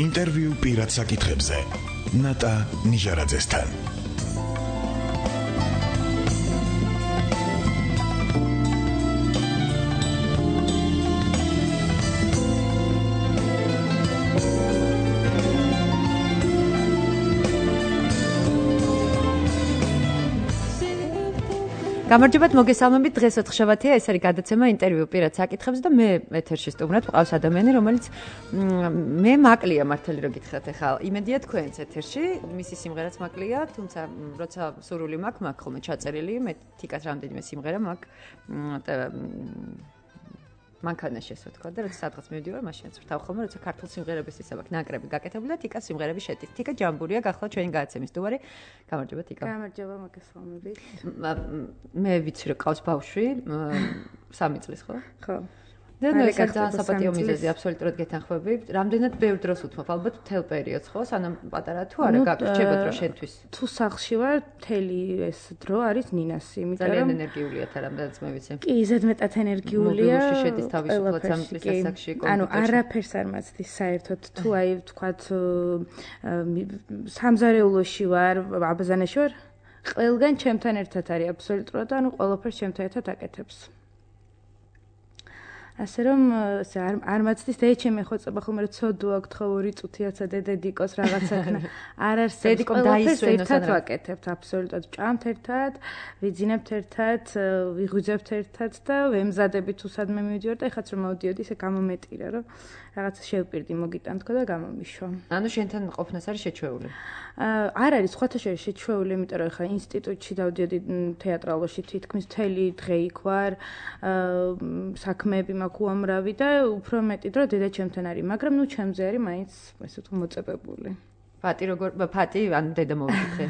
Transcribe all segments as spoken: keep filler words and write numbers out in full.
ინტერვიუ პირად საკითხებზე ნატა ნიჟარაძესთან. გამარჯობათ, მოგესალმებით. დღეს ოთხშაბათია, ეს არის გადაცემა ინტერვიუ პირად საკითხებზე და მე ეთერში სტუმრად მყავს ადამიანი, რომელიც მე მაკლია მართალი რო გითხრათ ახლა. იმედია თქვენც ეთერში, მისი სიმღერაც მაკლია, თუმცა როცა სურვილი მაქვს, მაქვს ხოლმე ჩაწერილი, მე თიკას რამდენიმე სიმღერა მაქვს. მანქანაში ესე ვთქვა და როცა სადღაც მივდივარ, მაშინაც ვთავ ხოლმე, როცა ქართულ სიმღერების ისა მაქვს ნაკრები გაკეთებული და თიკას სიმღერები შედის. თიკა ჯამბურია, გახლა ჩვენი გადაცემის სტუმარი. გამარჯობა თიკა. გამარჯობა, მოგესალმებით. მე ვიცი რომ ყავს ბავშვი, სამი წლის ხო? ხო. და ნუ ეს ძალიან საპატიო მიზეზი, აბსოლუტურად გეთანხმები. რამდენად ბევრ დროს უთმობ, ალბათ მთელ პერიოდს ხო? სანამ პატარა თუ არა გაგვჭირდება დრო შენთვის. თუ სახლში ვარ, მთელი ეს დრო არის ნინასი, იმიტომ რომ ძალიან ენერგიულია თან რამდენიც მე ვიცი. კი, ზედმეტად ენერგიულია. მობილურში შედის თავისუფლად სამი წლის ასაკში კომპიუტერში. ანუ არაფერს არ მაცდის საერთოდ, თუ აი ვთქვათ სამზარეულოში ვარ, აბაზანაში ვარ, ყველგან ჩემთან ერთად არის აბსოლუტურად, ანუ ყველაფერს ჩემთან ერთად აკეთებს. ასე რომ არ არ მაცდის და ჩემი ხოცება ხოლმე რომ ცოდო აქვს ხო ორი წუთიაცა დედიკოს რაღაცა ხნა არ არსებობს დედიკომ დაისვენოს ერთად ვაკეთებთ აბსოლუტურად ჭამთ ერთად ვიძინებთ ერთად ვიღვიძებთ ერთად და ვემზადებით თუ სადმე მივიდივარ და ეხაც რომ მოვდიოდი ესე გამომეტირა რომ რაღაცა შევპირდი მოგიტან თქო და გამომიშვა. ანუ შენთან ყოფნას არის შეჩვეული? არ არის სხვათა შორის შეჩვეული, იმიტომ რომ ეხლა ინსტიტუტში დავდიოდი თეატრალოში თითქმის მთელი დღე იქ ვარ, საქმეები მაქვს უამრავი და უფრო მეტი დრო დედა ჩემთან არის, მაგრამ ნუ ჩემზე არის მაინც ესე თუ მოწებებული. ფატი როგორ ფატი ანუ დედა მოვიქრე.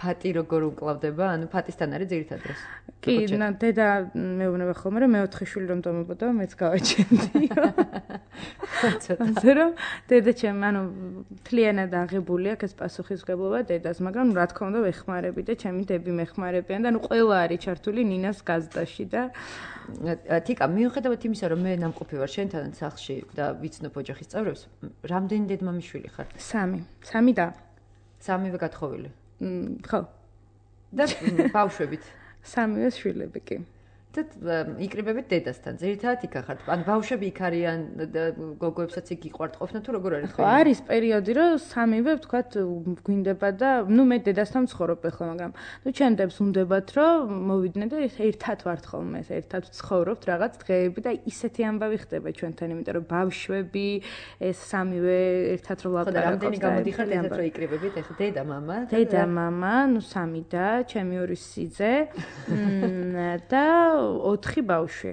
ფატი როგორ უკლავდება? ანუ ფატისთან არის ძირითად დროს. კი, დედა მეუბნება ხოლმე რომ მეოთხე შვილი რომ დამებოდა, მეც გავაჩენდი. ასე რომ დედა ჩემ ანუ თლიანად აღებული აქვს ეს პასუხისმგებლობა დედას, მაგრამ რა თქმა უნდა ვეხმარები და ჩემი დები მეხმარებიან და ნუ ყველა არის ჩართული ნინას გაზდაში და თიკა მიუხედავად იმისა რომ მე ნამყოფი ვარ შენთან სახლში და ვიცნობ ოჯახის წევრებს, რამდენი დედმამიშვილი ხარ? სამი. სამი და სამივე გათხოვილი. ხო. და ბავშვებით. სამივე შვილები კი. და იკრიბებით დედასთან. ძირითადად იქ ახართ. ან ბავშვები იქ არიან გოგოებსაც იქ იყვართ ყოფნა თუ როგორ არის? ხო, არის პერიოდი რომ სამივე ვთქვათ გვინდება და ნუ მე დედასთან ვცხოვრობ ახლა, მაგრამ ნუ ჩემდებს უნდებათ რომ მოვიდნენ და ერთად ვართ ხოლმე, ერთად ვცხოვრობთ რაღაც დღეები და ისეთი ამბავი ხდება ჩვენთან, იმიტომ რომ ბავშვები ეს სამივე ერთად რო ლაპარაკობთ. ხო, და რამდენი გამოდიხართ ერთად რო იკრიბებით? ახლა დედა, მამა? დედა, მამა, ნუ სამი და ჩემი ორი სიძე და ოთხი ბავშვი.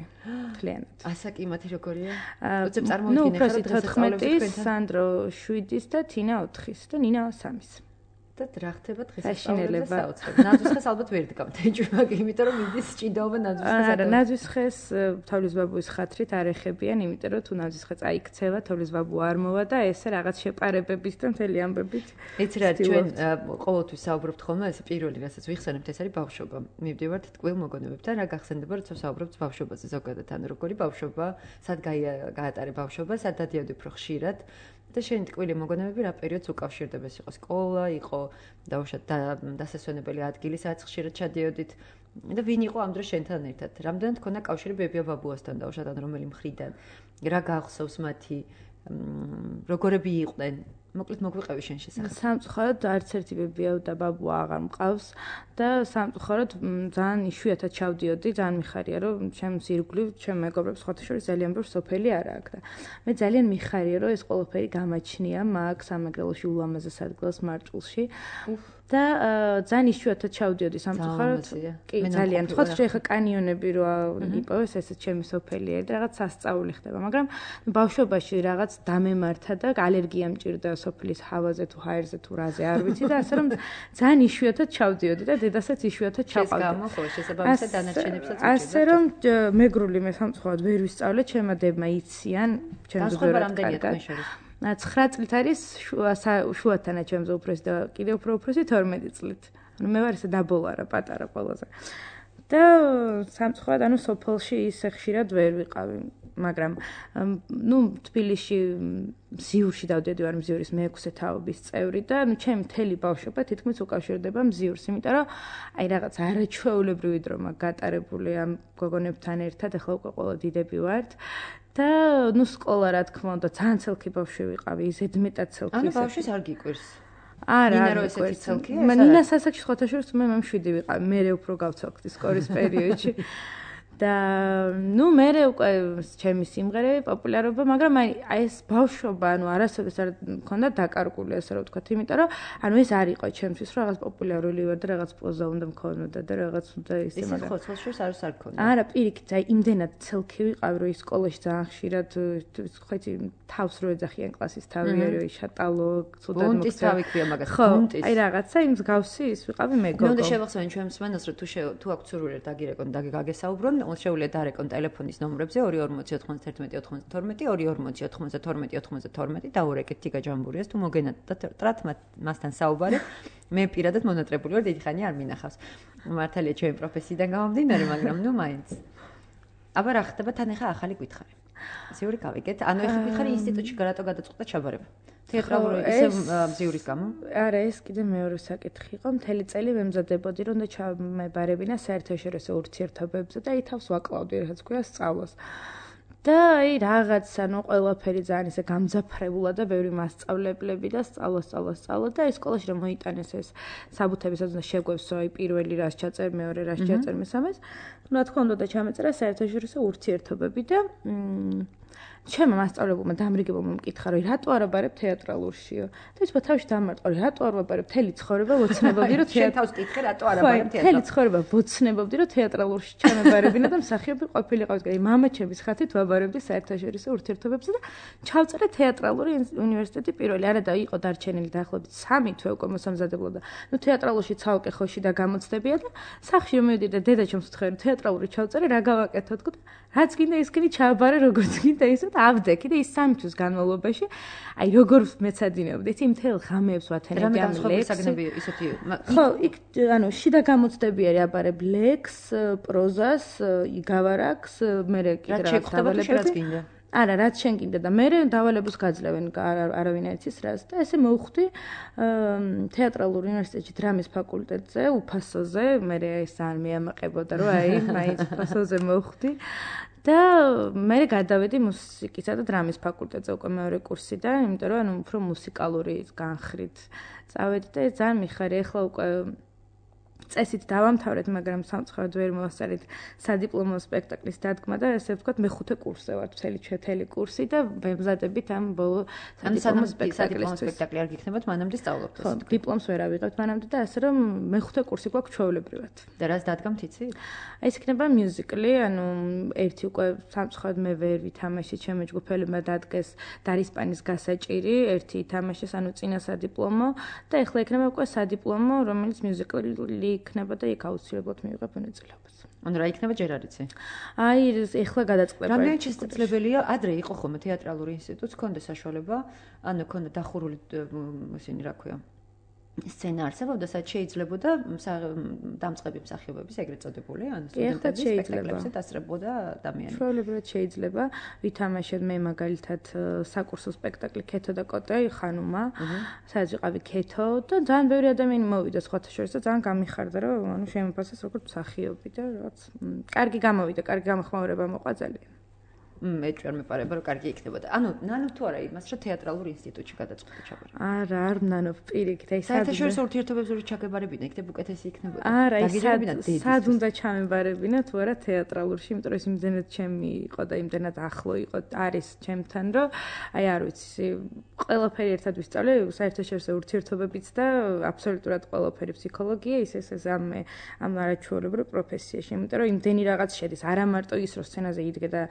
მთლიანად. ასაკიმათი როგორია? უცებ წარმოვიდგინე ხარ თოთხმეტის, სანდრო შვიდის და თინა ოთხის და ნინა სამის. და რა ხდება დღესასწაულებზე საოცრად. ნაძვისხეს ალბათ ვერ დგამთ ეჭვმაკი, იმიტომ რომ მიდის ჭიდაობა ნაძვისხეს. არა, ნაძვისხეს თოვლის ბაბუის ხათრით არ ეხებიან, იმიტომ რომ თუ ნაძვისხე წაიქცევა, თოვლის ბაბუ არ მოვა და ესე რაღაც შეპარებებით და მთელი ამბებით. იცი რა, ჩვენ ყოველთვის საუბრობთ ხოლმე, ეს პირველი რასაც ვიხსენებთ, ეს არის ბავშვობა. მივდივართ ტკბილ მოგონებებთან, რა გახსენდება, როცა საუბრობთ ბავშვობაზე ზოგადად, ანუ როგორი ბავშვობა, სად გაატარე ბავშვობა, სად დადიოდი უფრო ხშირად. და შენი ტკბილი მოგონებები რა პერიოდს უკავშირდება? ეს იყო სკოლა, იყო დაუშვათ დასასვენებელი ადგილი, სადაც ხშირად ჩადიოდით და ვინ იყო ამ დროს შენთან ერთად? რამდენად ქონდა კავშირი ბებია ბაბუასთან დაუშვათ ან რომელი მხრიდან? რა გახსოვს მათი? როგორები იყვნენ? მოკლედ მოგვიყევი შენ შესახებ. სამწუხაროდ არც ერთი ბებია და ბაბუა აღარ მყავს და სამწუხაროდ ძალიან იშვიათად ჩავდიოდი, ძალიან მიხარია რომ ჩემს ირგვლივ ჩემ მეგობრებს სხვათა შორის ძალიან ბევრი სოფელი არა აქვს და მე ძალიან მიხარია რომ ეს ყველაფერი გამაჩნია მაგ სამეგრელოში ულამაზეს ადგილას მარჭულში და ძალიან იშვიათად ჩავდიოდი სამწუხაროდ. კი, ძალიან. თქვა რომ ეხა კანიონები რო იპოვეს ესეც ჩემი სოფელია და რაღაც სასწაული ხდება, მაგრამ ბავშვობაში რაღაც დამემართა და ალერგია მჭირდა სოფლის ჰავაზე თუ ჰაერზე თუ რაზე არ ვიცი და ასე რომ ძალიან იშვიათად ჩავდიოდი და დედასაც იშვიათად ჩავყავდი. ეს გამო ხო შესაბამისად დანარჩენებსაც უჭირდა. ასე რომ მეგრული მე სამწუხაროდ ვერ ვისწავლე, ჩემმა დებმა იციან, ჩემს ბევრად კარგად. ცხრა წლით არის შუათანა ჩემზე უფროსი და კიდე უფრო უფროსი თორმეტი წლით. ანუ მე ვარ ესე დაბოლარა პატარა ყველაზე. და სამწუხაროდ ანუ სოფელში ისე ხშირად ვერ ვიყავი. მაგრამ ნუ თბილისში მზიურში დავდიოდი ვარ მზიურის მეექვსე თაობის წევრი და ნუ ჩემი მთელი ბავშვობა თითქმის უკავშირდება მზიურს, იმიტომ რომ აი რაღაც არაჩვეულებრივი დრო მაგ გატარებული ამ გოგონებთან ერთად, ახლა უკვე ყველა დიდები ვართ. და ნუ სკოლა რა თქმა უნდა ძალიან ცელქი ბავშვი ვიყავი, ზედმეტად ცელქი. ანუ ბავშვის არ გიკვირს. არა, ნინა რო ესეთი ცელქია? მე ნინა სასაკში სხვათა შორის მე მშვიდი ვიყავი, მე უფრო გავცელქდი სკოლის პერიოდში. და ნუ მე უკვე ჩემი სიმღერე პოპულარობა, მაგრამ აი ეს ბავშვობა, ანუ არასოდეს არ მქონდა დაკარგული, ასე რომ ვთქვათ, იმიტომ რომ ანუ ეს არ იყო ჩემთვის, რომ რაღაც პოპულარული ვარ და რაღაც პოზა უნდა მქონოდა და რაღაც უნდა ისე, მაგრამ ხო, ცოლ-შორს არის არ მქონდა. არა, პირიქით, აი იმდენად ცელქი ვიყავი, რომ ის სკოლაში ძალიან ხშირად ხვეცი თავს რო ეძახიან კლასის თავი არის, შატალო, ცუდად მოხდა. ბუნტის თავი ქვია მაგას, ბუნტის. აი რაღაცა იმ მსგავსი ის ვიყავი მე გოგო. მე უნდა შევახსენო ჩვენ მსმენელს, რომ თუ თუ აქვს სურვილი დაგირეკონ და გაგესაუბრონ, შეუძლია დარეკონ ტელეფონის ნომრებზე ორი ორმოცი ოთხმოცდაერთმეტი ოთხმოცდათორმეტი, ორი ორმოცი ოთხმოცდათორმეტი ოთხმოცდათორმეტი დაურეკეთ თიგა ჯამბურიას თუ მოგენათ და ტრათ მასთან საუბარი. მე პირადად მონატრებული ვარ, დიდი ხანი არ მინახავს. მართალია ჩემი პროფესიიდან გამომდინარე, მაგრამ ნუ მაინც. აბა რა ხდება თან ახლა ახალი კითხარი. ზიური გავიგეთ. ანუ ახლა კითხარი ინსტიტუტში რატო გადაწყვეტა ჩაბარება? თეატრალური ისე მზიურის გამო? არა, ეს კიდე მეორე საკითხი იყო. მთელი წელი ვემზადებოდი, რომ და ჩამებარებინა საერთაშორისო ურთიერთობებზე და აი თავს ვაკლავდი, რაც ქვია სწავლას. და აი რაღაც, ანუ ყველაფერი ძალიან ისე გამძაფრებულა და ბევრი მასწავლებლები და სწავლა, სწავლა, სწავლა და აი სკოლაში რომ მოიტანეს ეს საბუთები, სადაც უნდა შეგვევსო აი პირველი რას ჩაწერ, მეორე რას ჩაწერ, მესამეს. რა თქმა უნდა და ჩამეწერა საერთაშორისო ურთიერთობები და ჩემმა მასწავლებელმა დამრიგებულმა მკითხა, რომ რატო არ აბარებ თეატრალურშიო? და ის თავში დამარტყა, რომ რატო არ ვაბარებ თელი ცხოვრება ვოცნებობდი, რომ თეატრ თავს კითხე, რატო არ აბარებ თეატრალურში? თელი ცხოვრება ვოცნებობდი, რომ თეატრალურში ჩამებარებინა და მსახიობი ყოფილიყავით. აი მამაჩემის ხათით ვაბარებდი საერთაშორისო ურთიერთობებზე და ჩავწერე თეატრალური უნივერსიტეტი პირველი. არა და იყო დარჩენილი დაახლოებით სამი თვე უკვე მოსამზადებლად და ნუ თეატრალურში ცალკე ხოში და გამოცდებია და სახში მივედი და დედაჩემს ვთქვი, რომ თეატრალური ჩავწერე, რა გავაკეთო თქო და რაც გინდა ის კიდე ჩააბარე როგორც გინდა ისე ავდექი და ის სამი თვის განმავლობაში აი როგორ მეცადინეობდი იცი მთელ ღამეებს ვათენებდი ამ ლექსს ისეთი ხო იქ ანუ შიდა გამოცდები არის აბარებ ლექს პროზას იგავარაკს მე კიდე რა დავალებები არა რაც შენ გინდა და მე დავალებას გაძლევენ არავინ არ იცის რას და ესე მოვხვდი თეატრალურ უნივერსიტეტში დრამის ფაკულტეტზე უფასოზე მე ეს არ მეამაყებოდა რომ აი მაინც უფასოზე მოვხვდი და მე გადავედი მუსიკისა და დრამის ფაკულტეტზე უკვე მეორე კურსიდან, იმიტომ რომ ანუ უფრო მუსიკალური განხრით წავედი და ეს ძალიან მიხარია. ახლა უკვე წესით დავამთავრეთ, მაგრამ სამწუხაროდ ვერ მოვასწარით სადიპლომო სპექტაკლის დადგმა და ესე ვთქვათ, მეხუთე კურსზე ვარ, მთელი ჩვენი კურსი და ვემზადებით ამ ბოლო სადიპლომო სპექტაკლისთვის. სპექტაკლი არ გიქნებათ, მანამდე სწავლობთ. ხო, დიპლომს ვერ ავიღებთ მანამდე და ასე რომ მეხუთე კურსი გვაქვს ჩვეულებრივად. და რას დადგამთ იცით? აი ეს იქნება მიუზიკლი, ანუ ერთი უკვე სამწუხაროდ მე ვერ ვითამაშე, ჩემი ჯგუფელებმა დადგეს დარისპანის გასაჭირი, ერთი ითამაშეს, ანუ წინა სადიპლომო და ეხლა იქნება უკვე სადიპლომო, რომელიც მიუზიკლი იქნება და იქ აუცილებლად მივიღებ მონაწილეობას. ანუ რა იქნება ჯერ არ იცი? აი ეხლა გადაწყდება. რამდენი შესაძლებელია ადრე იყო ხოლმე თეატრალური ინსტიტუტს, ქონდა საშუალება, ანუ ქონდა დახურული ისინი რა ქვია? სცენა არსებობდა, სადაც შეიძლებოდა დამწყები მსახიობების ეგრეთ წოდებული, ანუ სტუდენტების სპექტაკლებზე დასწრებოდა ადამიანები. ჩვეულებრივად შეიძლება ვითამაშოთ მე მაგალითად საკურსო სპექტაკლი ქეთო და კოტე ხანუმა, სადაც ვიყავი ქეთო და ძალიან ბევრი ადამიანი მოვიდა სხვათა შორის და ძალიან გამიხარდა, რომ ანუ შემოფასეს როგორც მსახიობი და რაღაც კარგი გამოვიდა, კარგი გამოხმაურება მოყვა ძალიან. მე ჩვენ მეპარება რომ კარგი იქნებოდა. ანუ ნანო თუ არა იმას რომ თეატრალურ ინსტიტუტში გადაწყვეტა ჩაბარება. არა, არ ნანო პირიქით, აი საერთაშორისო ურთიერთობებზე რო ჩაგებარებინა, იქნებ უკეთესი იქნებოდა. არა, სად უნდა ჩამებარებინა თუ არა თეატრალურში, იმიტომ რომ ეს იმდენად ჩემი იყო და იმდენად ახლო იყო, არის ჩემთან, რომ აი არ ვიცი, ყველაფერი ერთად ვისწავლე, საერთაშორისო ურთიერთობებიც და აბსოლუტურად ყველაფერი ფსიქოლოგია, ის ეს ეს ამ ამ არაჩვეულებრივ პროფესიაში, იმიტომ რომ იმდენი რაღაც შედის, არა მარტო ის რომ სცენაზე იდგე და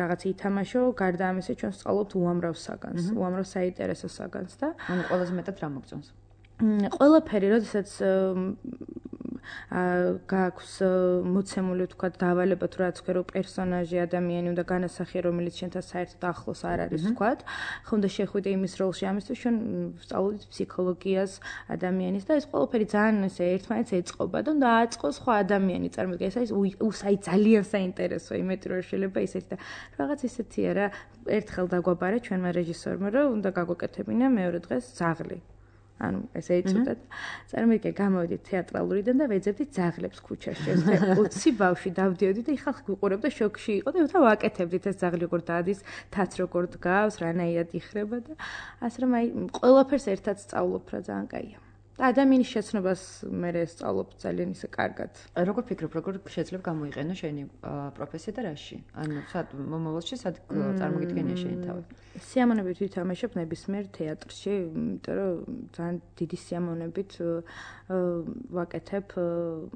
რაღაც ითამაშო, გარდა ამისა ჩვენ სწავლობთ უამრავ საგანს, უამრავ საინტერესო საგანს და ანუ ყველაზე მეტად რა მოგწონს? ყველაფერი, როდესაც გააქვს მოცემული თქვა დავალება თუ რაც ქვერო პერსონაჟი ადამიანი უნდა განასახიერო რომელიც შენთან საერთოდ ახლოს არ არის თქვა ხო უნდა შეხვიდე იმის როლში ამისთვის ჩვენ ვსწავლობთ ფსიქოლოგიას ადამიანის და ეს ყველაფერი ძალიან ესე ერთმანეთს ეწყობა და უნდა აწყოს სხვა ადამიანი წარმოიდგინე ეს არის უსაი ძალიან საინტერესო იმით რომ შეიძლება ისეთი და რაღაც ისეთია რა ერთხელ დაგვაბარა ჩვენმა რეჟისორმა რომ უნდა გაგვეკეთებინა მეორე დღეს ძაღლი ანუ ესე იწოდეთ. წარმოიდგინე, გამოვიდით თეატრალურიდან და ვეძებდით ძაღლებს ქუჩაში. ეს ოცი ბავშვი დავდიოდი და ხალხი გვიყურებდა შოკში იყო და უთა ვაკეთებდით ეს ძაღლი როგორ დადის, თაც როგორ დგავს, რანაირად იხრება და ასე რომ აი ყველაფერს ერთად სწავლობ რა ძალიან კაია. და ადამიანის შეცნობას მე სწავლობ ძალიან ისე კარგად. როგორ ფიქრობ, როგორ შეიძლება გამოიყენო შენი პროფესია და რაში? ანუ სად მომავალში სად წარმოგიდგენია შენი თავი? სიამოვნებით ვითამაშებ ნებისმიერ თეატრში, იმიტომ რომ ძალიან დიდი სიამოვნებით ვაკეთებ,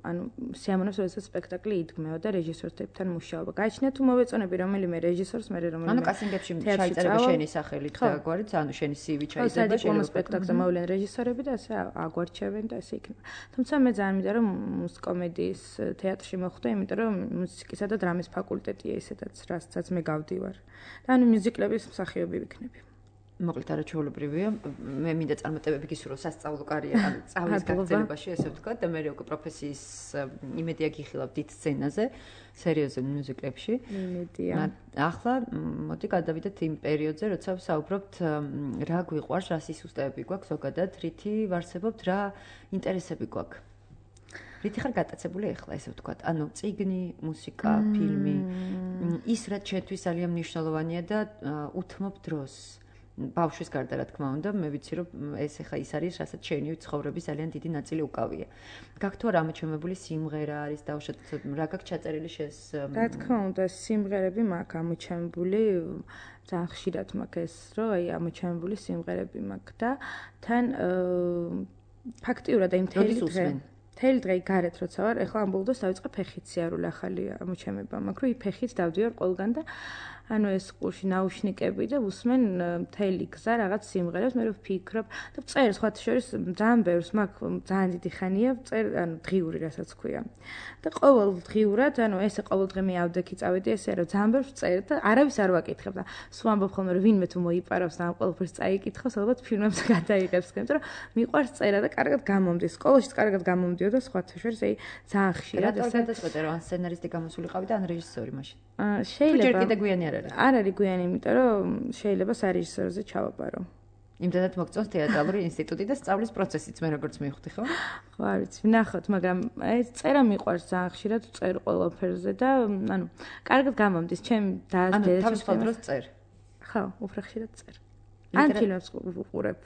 ანუ სიამოვნებს როდესაც სპექტაკლი იდგმევა და რეჟისორთან მუშაობა. გააჩნია თუ მოვეწონები რომელიმე რეჟისორს, მე რომელიმე ანუ კასინგებში ჩაიწერება შენი სახელით და გვარით, ანუ შენი სი ვი ჩაიწერება შენი სპექტაკლზე მოვლენ რეჟისორები და ასე აგვარჩევენ და ესე იქნება. თუმცა მე ძალიან მინდა რომ მუსიკომედიის თეატრში მოხვდე, იმიტომ რომ მუსიკისა და დრამის ფაკულტეტია ისედაც, რასაც მე გავდივარ. და ანუ მიუზიკლების მსახიობი ვიქნები. მოკლედ არაჩვეულებრივია. მე მინდა წარმატებები გისურვო სასწავლო კარიერა, ანუ სწავლის გაგრძელებაში, ესე ვთქვათ, და მე უკვე პროფესიის იმედია გიხილავ დიდ სცენაზე, სერიოზულ მიუზიკლებში. იმედია. ახლა მოდი გადავიდეთ იმ პერიოდზე, როცა ვსაუბრობთ რა გვიყვარს, რა სისუსტეები გვაქვს ზოგადად, რითი ვარსებობთ, რა ინტერესები გვაქვს. რითი ხარ გატაცებული ახლა, ესე ვთქვათ, ანუ წიგნი, მუსიკა, ფილმი, ის რაც ჩვენთვის ძალიან მნიშვნელოვანია და უთმობ დროს. ბავშვის გარდა რა თქმა უნდა, მე ვიცი რომ ეს ახლა ის არის, რასაც შენი ცხოვრების ძალიან დიდი ნაწილი უკავია. გაქვს თუ არა ამოჩემებული სიმღერა არის დაუშვათ, რა გაქვს ჩაწერილი შენს? რა თქმა უნდა, სიმღერები მაქვს ამოჩემებული, ძალიან ხშირად მაქვს ეს, რომ აი ამოჩემებული სიმღერები მაქვს და თან ფაქტიურად აი მთელი დღე მთელი დღე გარეთ როცა ვარ, ეხლა ამ ბოლოს დავიწყე ფეხით სიარული ახალი ამოჩემება მაქვს, რომ ფეხით დავდივარ ყველგან და ანუ ეს ყურში ნაუშნიკები და ვუსმენ მთელი გზა რაღაც სიმღერებს, მე რო ვფიქრობ და წერ სხვათა შორის ძალიან ბევრს მაქვს, ძალიან დიდი ხანია წერ, ანუ დღიური რასაც ქვია. და ყოველ დღიურად, ანუ ესე ყოველ დღე მე ავდექი წავედი ესე რომ ძალიან ბევრს წერ და არავის არ ვაკითხებ და სულ ამბობ ხოლმე რომ ვინმე თუ მოიპარავს და ამ ყველაფერს წაიკითხავს, ალბათ ფილმებს გადაიღებს, იმიტომ რომ მიყვარს წერა და კარგად გამომდის. სკოლაშიც კარგად გამომდიოდა სხვათა შორის, აი ძალიან ხშირად ესე. რატო გადაწყვეტე რომ ან სცენარისტი გამოსულიყავი და ან რეჟისორი მაშინ? აა შეიძლება. ჯერ კიდე გვიანი არ არის. არ არის გვიანი, იმიტომ რომ შეიძლება სარეჟისორზე ჩავაბარო. იმდანაც მოგწონს თეატრალური ინსტიტუტი და სწავლის პროცესიც მე როგორც მივხვდი, ხო? ხო, არ ვიცი, ვნახოთ, მაგრამ ეს წერა მიყვარს ძალიან ხშირად წერ ყველაფერზე და ანუ კარგად გამომდის, ჩემი და ანუ თავისუფალ დროს წერ. ხო, უფრო ხშირად წერ. ან ფილმებს ვუყურებ.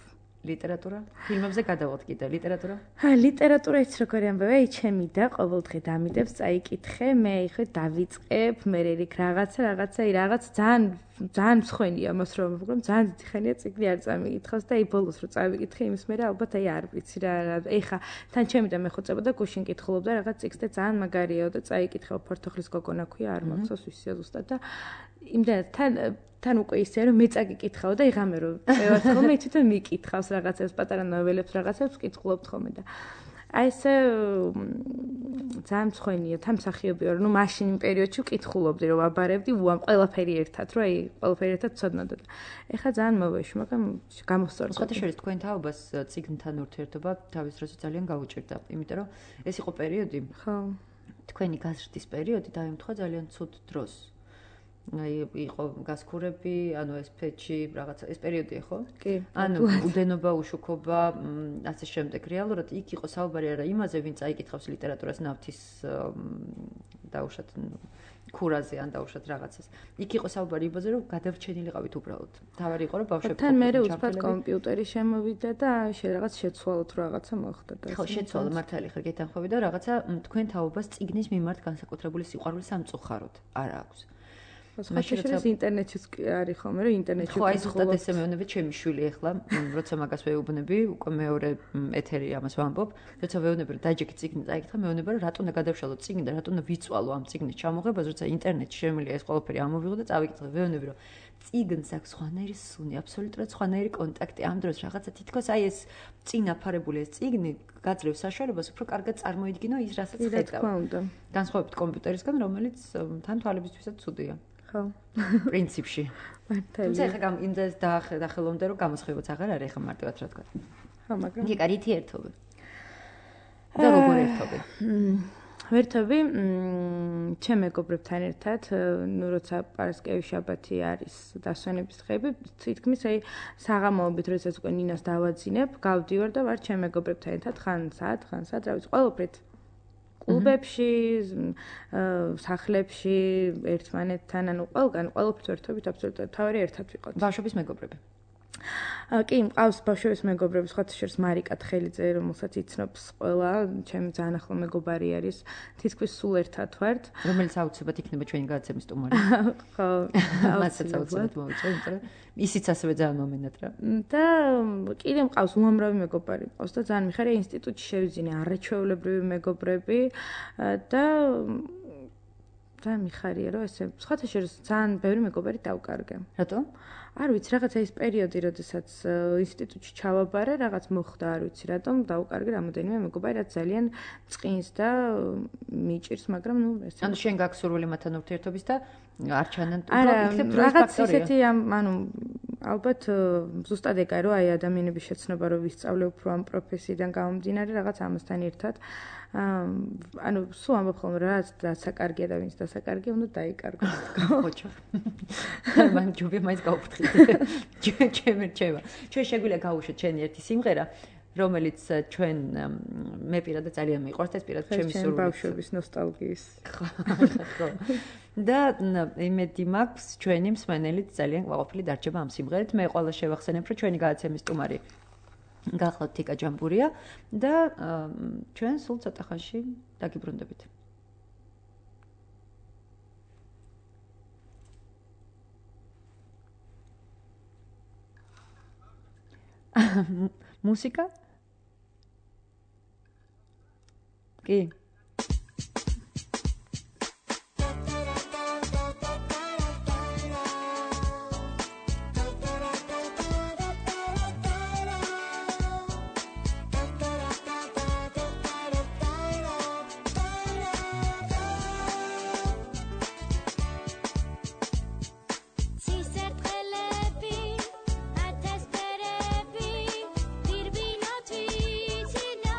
ლიტერატურა? ფილმებზე გადავალთ კიდე, ლიტერატურა? ჰა, ლიტერატურა ის როგორი ამბავია, აი ჩემი და ყოველ დღე დამიდებს, წაიკითხე, მე ეხლა დავიწყებ, მე რიქ რაღაცა, რაღაცა, აი რაღაც ძალიან ძალიან მსხვენია მას რომ ვუყურებ, ძალიან დიდი ხანია წიგნი არ წამიკითხავს და აი ბოლოს რო წავიკითხე, იმის მერე ალბათ აი არ ვიცი რა, ეხლა თან ჩემი და მე ხოწებოდა გუშინ კითხულობდა რაღაც წიგნს და ძალიან მაგარიაო და წაიკითხე, ფორთოხლის გოგონა ქვია, არ მახსოვს ვისია ზუსტად და იმდენად თან თან უკვე ისე რომ მე წაგიკითხავ და იღამე რომ წევარ ხოლმე თვითონ მიკითხავს რაღაცებს, პატარა ნოველებს რაღაცებს კითხულობთ ხოლმე და აი ესე ძალიან მსხვენია თან მსახიობი ვარ, ნუ მაშინ იმ პერიოდში ვკითხულობდი რომ ვაბარებდი, უამ ყველაფერი ერთად, რომ აი ყველაფერი ერთად ცოდნოდა და ეხლა ძალიან მოვეში, მაგრამ გამოსწორდა. სხვათა შორის თქვენ თაობას წიგნთან ურთიერთობა თავის დროზე ძალიან გაუჭირდა, იმიტომ რომ ეს იყო პერიოდი, ხო, თქვენი გაზრდის პერიოდი დაემთხვა ძალიან ცუდ დროს. აი იყო გასქურები, ანუ ეს ფეჩი, რაღაცა ეს პერიოდია, ხო? კი. ანუ უდენობა, უშუქობა, ასე შემდეგ. რეალურად იქ იყო საუბარი არა იმაზე, ვინ წაიკითხავს ლიტერატურას ნავთის დაუშვათ ქურაზე ან დაუშვათ რაღაცას. იქ იყო საუბარი იმაზე, რომ გადავრჩენილიყავით უბრალოდ. თავარი იყო, რომ ბავშვები თან მე უცბად კომპიუტერი შემოვიდა და რაღაც შეცვალოთ რაღაცა მოხდა და ხო, შეცვალა მართალი ხარ გეთანხმები და რაღაცა თქვენ თაობას წიგნის მიმართ განსაკუთრებული სიყვარული სამწუხაროდ არ აქვს. ხაშეშეს ინტერნეტშიც არის ხოლმე რომ ინტერნეტში ხო აი ზუსტად ესე მეუბნები ჩემი შვილი ახლა როცა მაგას ვეუბნები უკვე მეორე ეთერი ამას ვამბობ როცა ვეუბნები რომ დაჯექი წიგნი წაიკითხა მეუბნება რომ რატო უნდა გადავშალო წიგნი და რატო უნდა ვიწვალო ამ წიგნის ჩამოღებას როცა ინტერნეტში შემიძლია ეს ყველაფერი ამოვიღო და წავიკითხე ვეუბნები რომ წიგნს აქვს სხვანაირი სუნი, აბსოლუტურად სხვანაირი კონტაქტი. ამ დროს რაღაცა თითქოს აი ეს წინ აფარებული ეს წიგნი გაძლევს საშუალებას უფრო კარგად წარმოიდგინო ის, რასაც ხედავ. განსხვავებით კომპიუტერისგან, რომელიც თან თვალებისთვისაც ცუდია. ხო. პრინციპში. მართალია. თუმცა ეხლა იმდეს დაახელოვნდე, რომ გამოსხივაც აღარ არის, ეხლა მარტივად რა თქვა. ხო, მაგრამ იგი კარითი ერთობი. და როგორ ერთობი? ვერთობი, ჩემ მეგობრებთან ერთად, ნუ როცა პარასკევი შაბათი არის დასვენების დღეები, თითქმის აი საღამოობით, როდესაც უკვე ნინას დავაძინებ, გავდივარ და ვარ ჩემ მეგობრებთან ერთად, ხან საათ, ხან საათ, რა ვიცი, ყველაფრით. კლუბებში, სახლებში, ერთმანეთთან, ანუ ყველგან, ყველაფრით ვერთობით აბსოლუტურად თავი ერთად ვიყოთ. ბავშვობის მეგობრები. კი, მყავს ბავშვობის მეგობრები, სხვა შორის მარიკა თხელიძე, რომელსაც იცნობს ყველა, ჩემი ძალიან ახლო მეგობარი არის, თითქმის სულ ერთად ვართ. რომელიც აუცილებლად იქნება ჩვენი გადაცემის სტუმარი. ხო, მასაც აუცილებლად მოვიწვევ, იმიტომ რომ ისიც ასევე ძალიან მომენატრა. და კიდე მყავს უამრავი მეგობარი, მყავს და ძალიან მიხარია ინსტიტუტში შევიძინე არაჩვეულებრივი მეგობრები და და მიხარია რომ ესე სხვათა შორის ძალიან ბევრი მეგობარი დავკარგე. რატო? არ ვიცი, რაღაცა ის პერიოდი, როდესაც ინსტიტუტში ჩავაბარე, რაღაც მოხდა, არ ვიცი, რატომ დავკარგე რამოდენიმე მეგობარი, რაც ძალიან წყინს და მიჭირს, მაგრამ ნუ ესე. ანუ შენ გაქვს სურვილი მათთან ურთიერთობის და არ ჩანან იქნებ რაღაც ისეთი ანუ ალბათ ზუსტად ეგა რომ აი ადამიანების შეცნობა რომ ვისწავლე უფრო ამ პროფესიიდან გამომდინარე რაღაც ამასთან ერთად ანუ სულ ამბობ ხოლმე რაც დასაკარგია და ვინც დასაკარგია უნდა დაიკარგოს ხოჭო მან ჯობია მაინც გავფრთხილე ჩემ რჩება ჩვენ შეგვიძლია გავუშვათ ჩვენი ერთი სიმღერა რომელიც ჩვენ მე პირადად ძალიან მიყვარს ეს პირადად ჩემი სურვილი ბავშვობის ნოსტალგიის ხო და იმედი მაქვს ჩვენი მსმენელიც ძალიან ყვაყოფილი დარჩება ამ სიმღერით მე ყველა შევახსენებ რომ ჩვენი გადაცემის სტუმარი გახლავთ თიკა ჯამბურია და ჩვენ სულ ცოტა ხანში დაგიბრუნდებით მუსიკა კი Dirvino twitino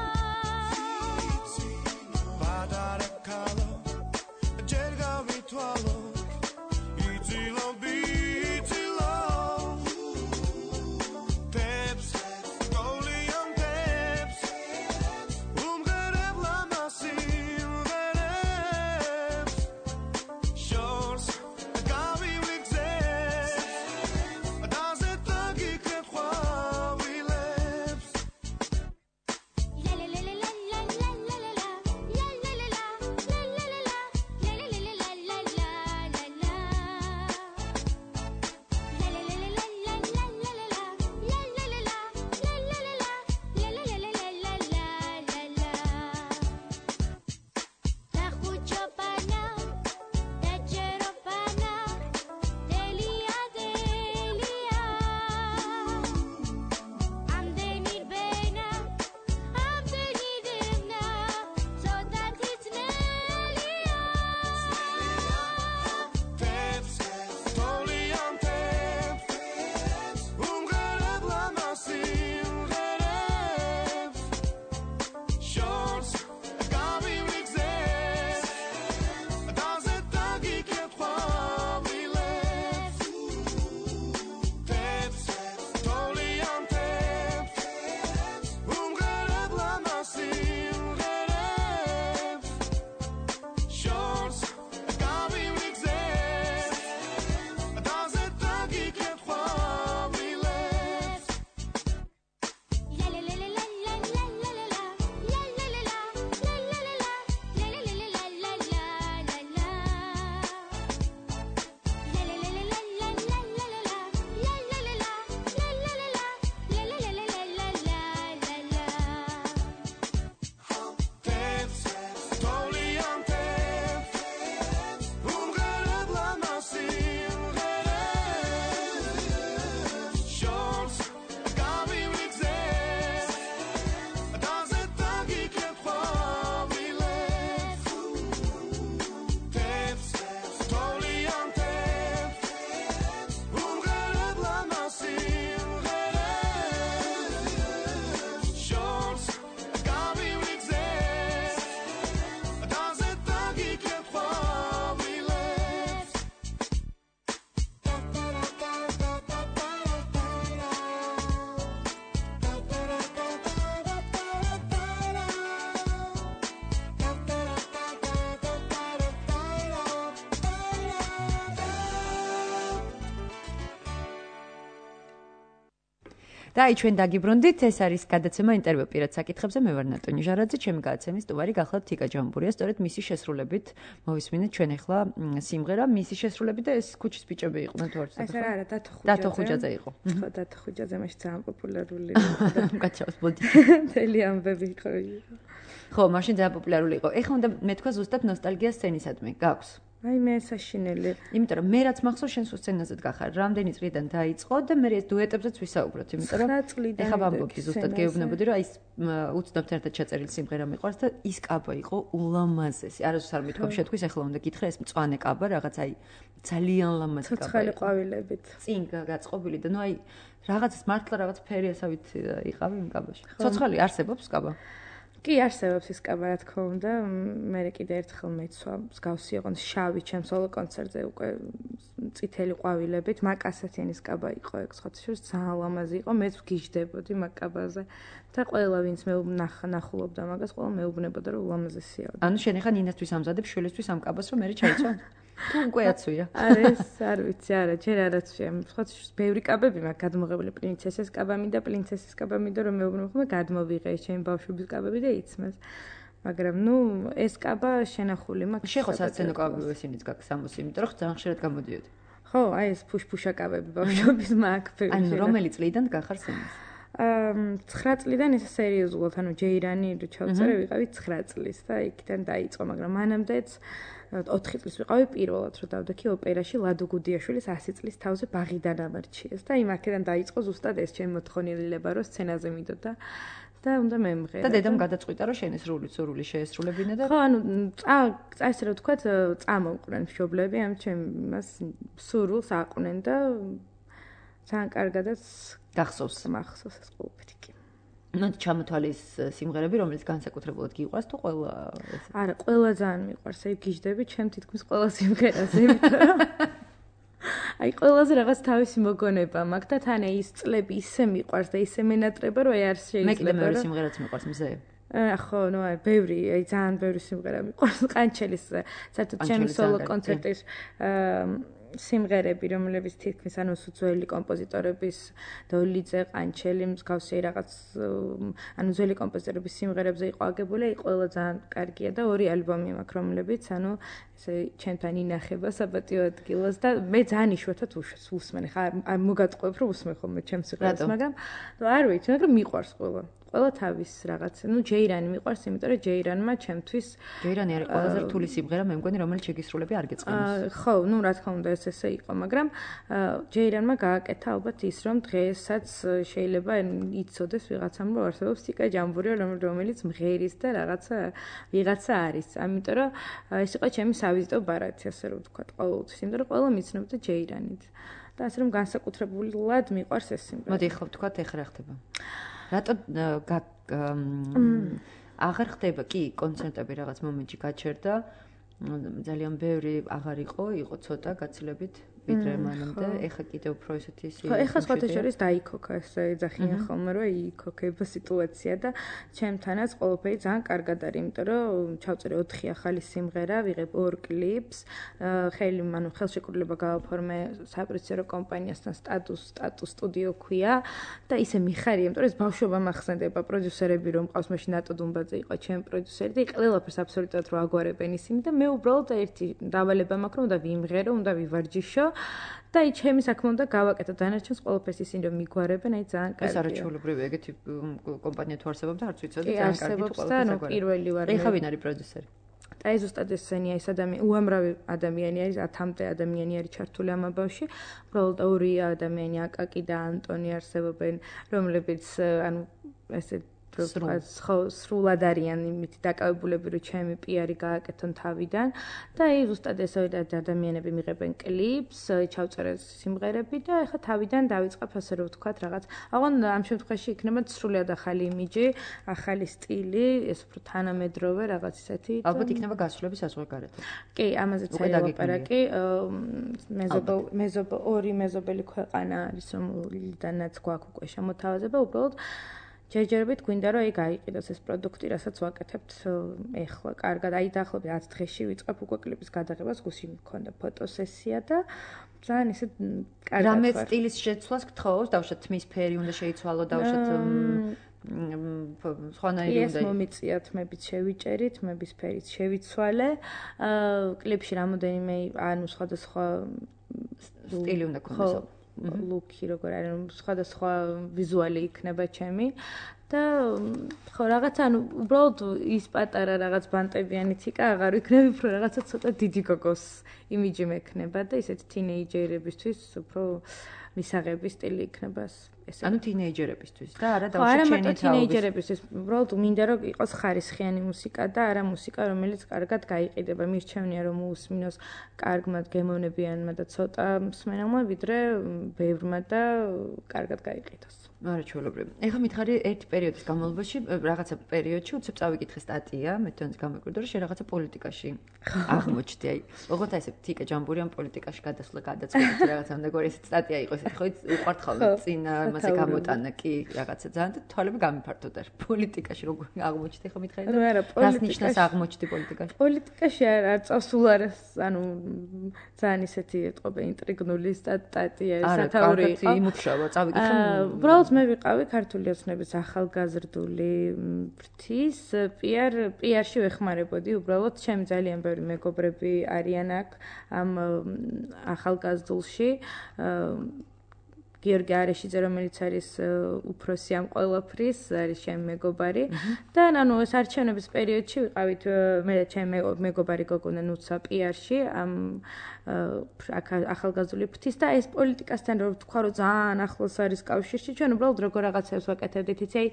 და აი ჩვენ დაგიბრუნდით, ეს არის გადაცემა ინტერვიუ პირად საკითხებზე, მე ვარ ნატო ნიჟარაძე, ჩემი გადაცემის სტუმარი გახლავთ თიკა ჯამბურია, სწორედ მისი შესრულებით მოვისმინეთ ჩვენ ახლა სიმღერა, მისი შესრულებით და ეს ქუჩის ბიჭები იყვნენ თუ არ ვიცი. ეს რა, დათო ხუჯაძე. დათო ხუჯაძე იყო. ხო, დათო ხუჯაძე მაშინ ძალიან პოპულარული. კაცავს ბოდი. თელი ამბები იყო. ხო, მაშინ ძალიან პოპულარული იყო. ეხლა უნდა მე თქვა ზუსტად ნოსტალგია სცენისადმი. გაქვს? აი მე საშინელი. იმიტომ რომ მე რაც მახსოვს შენ სულ სცენაზეც გახარ. რამდენი წლიდან დაიწყო და მე ეს დუეტებზეც ვისაუბროთ, იმიტომ რომ ეხლა ვამბობდი ზუსტად გეუბნებოდი რომ აი უცნობთ ერთად ჩაწერილი სიმღერა მიყვარს და ის კაბა იყო ულამაზესი. არასდროს არ მithქვამს შეთქვის ეხლა უნდა გითხრა ეს მწვანე კაბა რაღაც აი ძალიან ლამაზი კაბა. ცოცხალი ყვავილებით. წინ გაწყობილი და ნუ აი რაღაცას მართლა რაღაც ფერიასავით იყავი იმ კაბაში. ცოცხალი არსებობს კაბა? კი არსებობს ის კაბა, რა თქმა უნდა, მე კიდე ერთხელ მეცვა, მსგავსი იყო შავი ჩემს სოლო კონცერტზე უკვე წითელი ყვავილებით, მაკასათიანის კაბა იყო ეგ სხვათაშორის ძალიან ლამაზი იყო, მეც ვგიჟდებოდი მაგ კაბაზე და ყველა ვინც მე ნახულობდა მაგას, ყველა მეუბნებოდა რომ ულამაზესია. ანუ შენ ახლა ნინასთვის ამზადებ შვილისთვის ამ კაბას რომ მე ჩაიცვა? თუ უკვე აცვია. არა ეს არ ვიცი, არა, ჯერ არ აცვია. სხვათაშორის ბევრი კაბები მაქვს გადმოღებული, პრინცესეს კაბამი და პრინცესის კაბამი და რომ მეუბნებ ხოლმე გადმოვიღე ჩემი ბავშვობის კაბები და იცმეს. მაგრამ ნუ ეს კაბა შენახული მაქვს. შეხო საცენო კაბები ესენიც გაქვს ამბოს, იმიტომ რომ ძალიან ხშირად გამოდიოდი. ხო, აი ეს ფუშფუშა კაბები ბავშვობის მაქვს ბევრი. ანუ რომელი წლიდან გახარ სცენას? აა ცხრა წლიდან ეს სერიოზულად, ანუ ჯეირანი რო ჩავწერე ვიყავი ცხრა წლის და იქიდან დაიწყო, მაგრამ მანამდეც ოთხი წლის ვიყავი პირველად რომ დავდექი ოპერაში ლადო გუდიაშვილის ასი წლის თავზე ბაღიდან ამარჩიეს და იმ აქედან დაიწყო ზუსტად ეს ჩემი მოთხოვნილება რომ სცენაზე მიდოდა და უნდა მემღერა. და დედამ გადაწყვიტა რომ შენ ეს როლი სურვილი შეესრულებინა და ხო, ანუ წა ესე რომ ვთქვათ, წამოყვნენ მშობლები ამ ჩემ იმას სურვილს აყვნენ და ძალიან კარგადაც გახსოვს მახსოვს ეს ყოველფერი კი. ნუ ჩამოთვალის სიმღერები, რომელიც განსაკუთრებულად გიყვარს თუ ყველა ეს? არა, ყველა ძალიან მიყვარს. აი გიждდები ჩემ თითქმის ყველა სიმღერაზე, იმიტომ რომ აი ყველაზე რაღაც თავისი მოგონება მაქვს და თან ის წლები ისე მიყვარს და ისე მენატრება, რომ აი არ შეიძლება. მე კიდე მეორე სიმღერაც მიყვარს მზე. ხო, ნუ აი ბევრი, აი ძალიან ბევრი სიმღერა მიყვარს. ყანჩელის საერთოდ ჩემი სოლო კონცერტის სიმღერები, რომლებიც თითქმის ანუ ძველი კომპოზიტორების დოლიძე, ყანჩელი, მსგავსი რაღაც ანუ ძველი კომპოზიტორების სიმღერებზე იყო აგებული, აი ყველა ძალიან კარგია და ორი ალბომი მაქვს, რომლებიც ანუ ესე ჩემთან ინახება საპატიო ადგილას და მე ძალიან იშვიათად უსმენ. ხა არ მოგატყუებ რომ უსმენ ხოლმე ჩემს სიმღერას, მაგრამ არ ვიცი, მაგრამ მიყვარს ყველა. ყველა თავის რაღაც. ნუ ჯეირანი მიყვარს, იმიტომ რომ ჯეირანმა ჩემთვის ჯეირანი არის ყველაზე რთული სიმღერა, მე მგონი, რომელიც შეგისრულები არ გეწყინოს. ხო, ნუ რა თქმა უნდა ეს ესე იყო, მაგრამ ჯეირანმა გააკეთა ალბათ ის, რომ დღესაც შეიძლება იცოდეს ვიღაცამ, რომ არსებობს თიკა ჯამბურია, რომელიც მღერის და რაღაცა ვიღაცა არის. ამიტომ რომ ეს იყო ჩემი სავიზიტო ბარათი, ასე რომ ვთქვათ, ყოველთვის, იმიტომ რომ ყველა მიცნობდა ჯეირანით. და ასე რომ განსაკუთრებულად მიყვარს ეს სიმღერა. მოდი ხო ვთქვათ, ეხლა რა ხდება? რატო აღარ ხდება კი კონცერტები რაღაც მომენტში გაჩერდა ძალიან ბევრი აღარ იყო იყო ცოტა გაცილებით ვიდრე მანამდე ეხა კიდევ უფრო ესეთი ხო ეხა სხვათაშორის დაიქოქა ეს ეძახიან ხოლმე რომ იქოქება სიტუაცია და ჩემთანაც ყველაფერი ძალიან კარგად არის იმიტომ რომ ჩავწერე ოთხი ახალი სიმღერა ვიღებ ორ კლიპს ხელი ანუ ხელშეკრულება გავაფორმე საპროცესო კომპანიასთან სტატუს სტატუს სტუდიო ქვია და ისე მიხარია იმიტომ რომ ეს ბავშვობა მახსენდება პროდიუსერები რომ ყავს მაშინ ნატო დუმბაძე იყო ჩემი პროდიუსერი და ყველაფერს აბსოლუტურად რო აგვარებენ ისინი და მე უბრალოდ ერთი დავალება მაქვს რომ უნდა ვიმღერო უნდა ვივარჯიშო და აი ჩემი საქმე უნდა გავაკეთო დანარჩენს ყველაფერს ისინი რომ მიგვარებენ აი ძალიან კარგია. ეს არაჩვეულებრივი ეგეთი კომპანია თუ არსებობდა არც ვიცოდი ძალიან კარგი თუ ყველაფერს აგვარებენ. პირველი ვარ. ეხა ვინ არის პროდიუსერი? და ეს ზუსტად ესენია ეს ადამიანი უამრავი ადამიანი არის ათამდე ადამიანი არის ჩართული ამ ამბავში. უბრალოდ ორი ადამიანი აკაკი და ანტონი არსებობენ რომლებიც ანუ ესე ხო სრულად არიან იმით დაკავებულები რომ ჩემი პიარი გააკეთონ თავიდან და აი ზუსტად ესოი ადამიანები მიღებენ კლიპს ჩავწერე სიმღერები და ეხლა თავიდან დავიწყებ ასე რომ ვთქვათ რაღაც აღონ ამ შემთხვევაში იქნება სრულად ახალი იმიჯი ახალი სტილი ეს უფრო თანამედროვე რაღაც ისეთი ალბათ იქნება გასვლები საზღვარგარეთ კი ამაზეც არის ლაპარაკი მეზობო მეზობო ორი მეზობელი ქვეყანა არის რომლიდანაც გვაქვს უკვე შემოთავაზება უბრალოდ ჯერჯერობით გვინდა რომ ეგ აიყიდოს ეს პროდუქტი, რასაც ვაკეთებთ ეხლა. კარგად, აი დაახლოებით ათი დღეში ვიწყებ უკვე კლიპის გადაღებას, გუშინ მქონდა ფოტოსესია და ძალიან ისე კარგად. რამე სტილის შეცვლას გთხოვს, დავუშვათ თმის ფერი უნდა შეიცვალო, დავუშვათ სხვანაირი უნდა. ეს მომიწიათ, მებით შევიჭერით, მების ფერით შევიცვალე. აა კლიპში რამოდენიმე ანუ სხვადასხვა სტილი უნდა ქონდეს. ლუკი როგორ არის, სხვადასხვა ვიზუალი იქნება ჩემი და ხო რაღაცა ანუ უბრალოდ ის პატარა რაღაც ბანტებიანი ციკა აღარ ვიქნები, უფრო რაღაცა ცოტა დიდი გოგოს იმიჯი მექნება და ისეთ თინეიჯერებისთვის უფრო მისაღები სტილი იქნება ეს. ანუ თინეიჯერებისთვის და არა დავუშვათ ჩენი თაობის. ხო, თინეიჯერებისთვის უბრალოდ მინდა რომ იყოს ხარისხიანი მუსიკა და არა მუსიკა, რომელიც კარგად გაიყიდება. მირჩევნია რომ მოусმინოს კარგმა გემოვნებიანმა და ცოტა მსმენელმა, ვიდრე ბევრმა და კარგად გაიყიდოს. არა ჩვეულებრივი. ეხლა მითხარი ერთ პერიოდის განმავლობაში, რაღაცა პერიოდში უცებ წავიკითხე სტატია, მე თვითონაც გამეკვირდა რომ შე რაღაცა პოლიტიკაში აღმოჩნდი. აი, ოღონდ აი ესე თიკა ჯამბური ამ პოლიტიკაში გადასვლა გადაწყვეტი რაღაცა უნდა ეს სტატია იყოს. ხო, უყვართ ხოლმე წინ მასე გამოტანა კი რაღაცა ძალიან და თვალები გამიფართოდა. პოლიტიკაში როგორ აღმოჩნდი ხო მითხარი და რას ნიშნავს აღმოჩნდი პოლიტიკაში? პოლიტიკაში არ წავსულ არის, ანუ ძალიან ისეთი ეტყობა ინტრიგნული სტატია, სათაური იყო. არა, იმუშავა, წავიკითხე. უბრალოდ მე ვიყავი ქართული ოცნების ახალგაზრდული ფრთის პიარ პიარში ვეხმარებოდი, უბრალოდ ჩემი ძალიან ბევრი მეგობრები არიან აქ ამ ახალგაზრდულში. გიორგი არეშიძე, რომელიც არის უფროსი ამ ყველაფრის, არის ჩემი მეგობარი და ანუ ეს არჩევნების პერიოდში ვიყავით მე და ჩემი მეგობარი გოგონა ნუცა პიარში ამ ახალგაზრდული ფრთის და ეს პოლიტიკასთან რო ვთქვა რომ ძალიან ახლოს არის კავშირში, ჩვენ უბრალოდ როგორ რაღაცებს ვაკეთებდით, იცი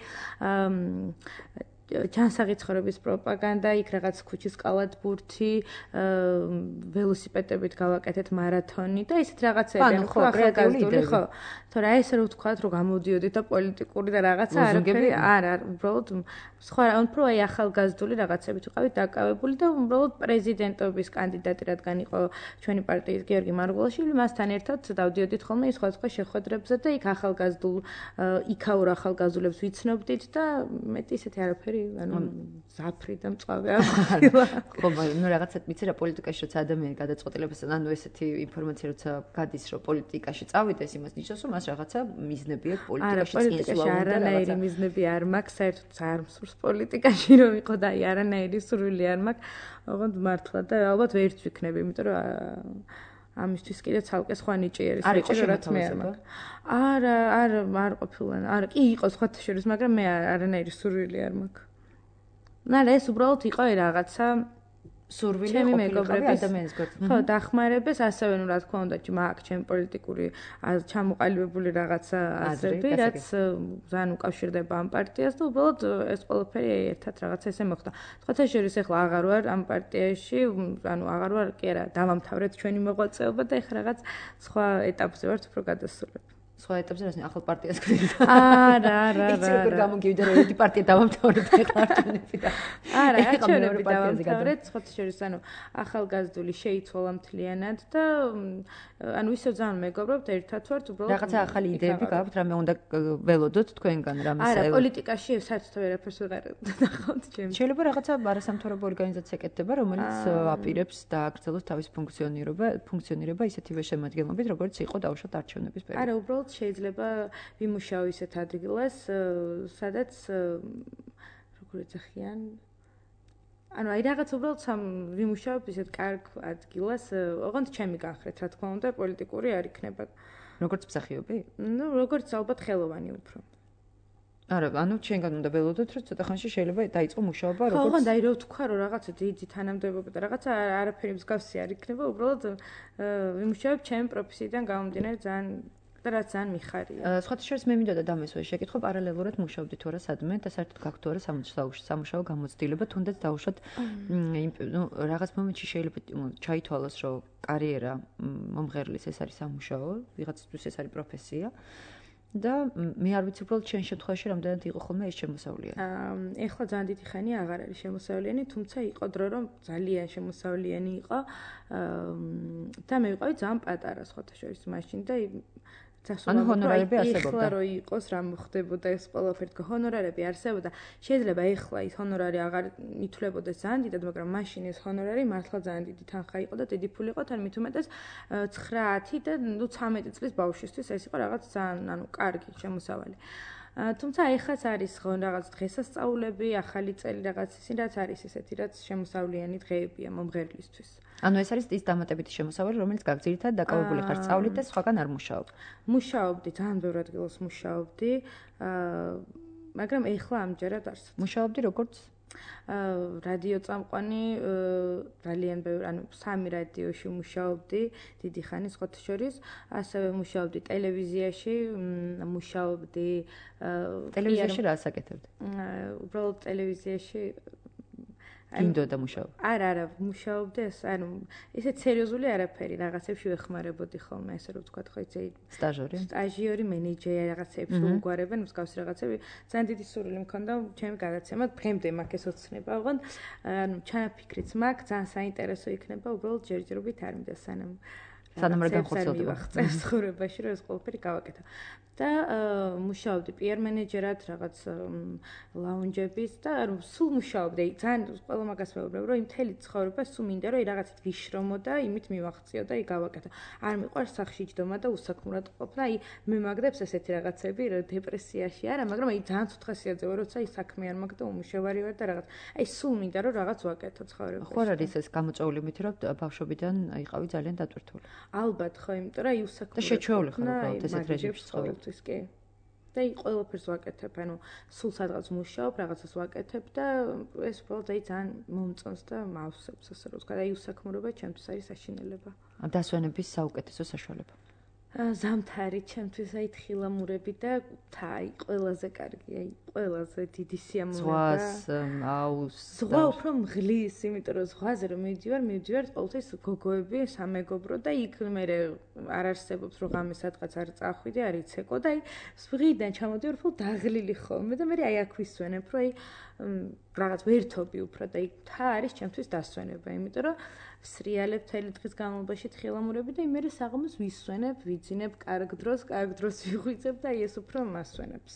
ჯანსაღი ცხოვრების პროპაგანდა, იქ რაღაც ქუჩის კალათბურთი, ველოსიპედებით გავაკეთეთ მარათონი და ისეთ რაღაცები, ხო, ახალგაზრდული, ხო. თორე აი ესე რო ვთქვათ, რომ გამოდიოდით და პოლიტიკური და რაღაცა არაფერი არ არ, უბრალოდ სხვა უფრო აი ახალგაზრდული რაღაცებით ვიყავით დაკავებული და უბრალოდ პრეზიდენტობის კანდიდატი რადგან იყო ჩვენი პარტიის გიორგი მარგულაშვილი, მასთან ერთად დავდიოდით ხოლმე სხვადასხვა შეხვედრებზე და იქ ახალგაზრდულ იქაურ ახალგაზრდულებს ვიცნობდით და მეტი ისეთი არაფერი ანუ ზაფრი და მწვავე აღილა. ხო, მაგრამ ნუ რაღაცა ვიცი რა პოლიტიკაში როცა ადამიანი გადაწყვეტილებას ანუ ესეთი ინფორმაცია როცა გადის რომ პოლიტიკაში წავიდეს, იმას ნიშნავს რომ მას რაღაცა მიზნები აქვს პოლიტიკაში წინსვლა უნდა რაღაცა. არანაირი მიზნები არ მაქვს, საერთოდ არ მსურს პოლიტიკაში რომ იყო და აი არანაირი სურვილი არ მაქვს. ოღონდ მართლა და ალბათ ვერც ვიქნები, იმიტომ რომ ამისთვის კიდე ცალკე სხვა ნიჭი არის, ნიჭი რაც მე არ მაქვს. არა, არა, არ ყოფილან. არა, კი იყო სხვათა შორის, მაგრამ მე არანაირი სურვილი არ მაქვს. ნალა ეს უბრალოდ იყო რაღაცა სურვილი ყოფილი ადამიანის გვერდით. ხო, დახმარებას, ასევე ნუ რა თქმა უნდა, მაქვს ჩემი პოლიტიკური ჩამოყალიბებული რაღაცა აზრები, რაც ძალიან უკავშირდება ამ პარტიას და უბრალოდ ეს ყველაფერი ერთად რაღაცა ესე მოხდა. სხვათა შორის ეხლა აღარ ვარ ამ პარტიაში, ანუ აღარ ვარ, კი არა, დავამთავრეთ ჩვენი მოღვაწეობა და ეხლა რაღაც სხვა ეტაპზე ვართ უფრო გადასულები. სხვა ეტაპზე რას ახალ პარტიას გვინდა. არა, არა, არა. იცი როგორ გამოგივიდა რომ ერთი პარტია დავამთავრეთ ეხლა არჩევნები და არა, არჩევნები დავამთავრეთ, სხვათა შორის ანუ ახალგაზრდული შეიცვალა მთლიანად და ანუ ისევ ძალიან მეგობრობთ, ერთად ვართ, უბრალოდ რაღაცა ახალი იდეები გაქვთ, რამე უნდა ველოდოთ თქვენგან რამე არა, პოლიტიკაში საერთოდ ვერაფერს ვეღარ ნახავთ ჩემს. შეიძლება რაღაცა არასამთავრობო ორგანიზაცია ეკეთება, რომელიც აპირებს დააგრძელოს თავის ფუნქციონირება, ფუნქციონირება ისეთივე შემადგენლობით, როგორც იყო დავუშვათ არჩევნების პერიოდში. არა, უბრალოდ შეიძლება ვიმუშაო ისეთ ადგილას, სადაც როგორ ეძახიან ანუ აი რაღაც უბრალოდ სამ ვიმუშაობ ისეთ კარგ ადგილას, ოღონდ ჩემი განხრეთ, რა თქმა უნდა, პოლიტიკური არ იქნება. როგორც მსახიობი? ნუ როგორც ალბათ ხელოვანი უფრო. არა, ანუ ჩვენგან უნდა ველოდოთ, რომ ცოტა ხანში შეიძლება დაიწყო მუშაობა, როგორც ხო, ოღონდ აი რო ვთქვა, რომ რაღაცა დიდი თანამდებობა და რაღაცა არაფერი მსგავსი არ იქნება, უბრალოდ ვიმუშაობ ჩემი პროფესიიდან გამომდინარე ძალიან და რაც ძალიან მიხარია. სხვათა შორის მე მინდოდა დამესვე შეკითხვა პარალელურად მუშაობდი თუ არა სადმე და საერთოდ გაქვთ თუ არა სამუშაო გამოცდილება, თუნდაც დავუშვათ ნუ რაღაც მომენტში შეიძლება ჩაითვალოს, რომ კარიერა მომღერლის ეს არის სამუშაო, ვიღაცისთვის ეს არის პროფესია. და მე არ ვიცი უბრალოდ ჩემ შემთხვევაში რამდენად იყო ხოლმე ეს შემოსავლიანი. აა ეხლა ძალიან დიდი ხანი აღარ არის შემოსავლიანი, თუმცა იყო დრო რომ ძალიან შემოსავლიანი იყო. აა და მე ვიყავი ძალიან პატარა სხვათა შორის მაშინ და ანუ ჰონორარები არსებობდა. ეხლა რო იყოს რა მოხდებოდა ეს ყველაფერი, თქო ჰონორარები არსებობდა. შეიძლება ეხლა ის ჰონორარი აღარ ითვლებოდეს ძალიან დიდად, მაგრამ მაშინ ეს ჰონორარი მართლა ძალიან დიდი თანხა იყო და დიდი ფული იყო, თან მით უმეტეს ცხრა ათი და ნუ ცამეტი წლის ბავშვისთვის ეს იყო რაღაც ძალიან ანუ კარგი შემოსავალი. თუმცა ეხაც არის ხო რაღაც დღესასწაულები, ახალი წელი რაღაც ისინი რაც არის ესეთი რაც შემოსავლიანი დღეებია მომღერლისთვის. ანუ ეს არის ის დამატებითი შემოსავალი, რომელიც გაგზირითად დაკავებული ხარ სწავლით და სხვაგან არ მუშაობ. მუშაობდი, ძალიან ბევრ ადგილას მუშაობდი, მაგრამ ეხლა ამჯერად არც. მუშაობდი როგორც რადიო წამყვანი, ძალიან ბევრ, ანუ სამი რადიოში მუშაობდი, დიდი ხანი სხვათა შორის, ასევე მუშაობდი ტელევიზიაში, მუშაობდი ტელევიზიაში რა ასაკეთებდი? უბრალოდ ტელევიზიაში გინდოდა მუშაობ? არა, არა, მუშაობდი ეს, ანუ ისეთ სერიოზული არაფერი, რაღაცებში ვეხმარებოდი ხოლმე, ესე რომ ვთქვათ, ხო იცი, სტაჟორი? სტაჟიორი, მენეჯერი რაღაცებში უგვარებენ, მსგავსი რაღაცები, ძალიან დიდი სურვილი მქონდა ჩემი გადაცემა, დღემდე მაქვს ეს ოცნება, ოღონდ ანუ ჩანაფიქრიც მაქვს, ძალიან საინტერესო იქნება, უბრალოდ ჯერჯერობით არ მინდა სანამ სანამ რა განხორციელდება წეს ცხოვრებაში, რომ ეს ყველაფერი გავაკეთო. და მუშაობდი პიარ მენეჯერად რაღაც ლაუნჯების და ანუ სულ მუშაობდი. ძალიან ყველა მაგას მეუბნებ, რომ იმ მთელი ცხოვრება სულ მინდა რომ რაღაცით ვიშრომო და იმით მივახციო და იქ გავაკეთო. არ მიყვარს სახში ჯდომა და უსაქმურად ყოფნა. აი მე მაგდებს ესეთი რაღაცები, რომ დეპრესიაში არა, მაგრამ აი ძალიან ცუთ ხასიათზე ვარ, როცა აი საქმე არ მაქვს და უმუშევარი ვარ და რაღაც. აი სულ მინდა რომ რაღაც ვაკეთო ცხოვრებაში. ხო არ არის ეს გამოწვეული მითი, რომ ბავშვობიდან იყავი ძალიან დატვირთული. ალბათ ხო, იმიტომ რომ აი უსაქმურად და შეჩვეული ხარ უბრალოდ ესეთ რეჟიმში ცხოვრობ. ის კი. და აი ყველაფერს ვაკეთებ, ანუ სულ სადღაც მუშაობ, რაღაცას ვაკეთებ და ეს უბრალოდ აი ძალიან მომწონს და მავსებს, ასე რომ ვთქვა, აი უსაქმურობა ჩემთვის არის საშინელება. დასვენების საუკეთესო საშუალება. ზამთარი ჩემთვის აი თხილამურები და თა აი ყველაზე კარგი, აი ყველაზე დიდი სიამოვნება. ზღვას, აუს. ზღვა უფრო მღლის, იმიტომ რომ ზღვაზე რომ მივდივარ, მივდივარ ყოველთვის გოგოები, სამეგობრო და იქ მე არ არსებობს რომ ღამე სადღაც არ წახვიდე, არ იცეკო და აი ზღვიდან ჩამოდივარ უფრო დაღლილი ხოლმე და მე აი აქ ვისვენებ, რომ აი რაღაც ვერთობი უფრო და აი თა არის ჩემთვის დასვენება, იმიტომ რომ სრიალებ თელი დღის განმავლობაში თხილამურები და იმერე საღამოს ვისვენებ, ვიძინებ კარგ დროს, კარგ დროს ვიღვიძებ და ეს უფრო მასვენებს.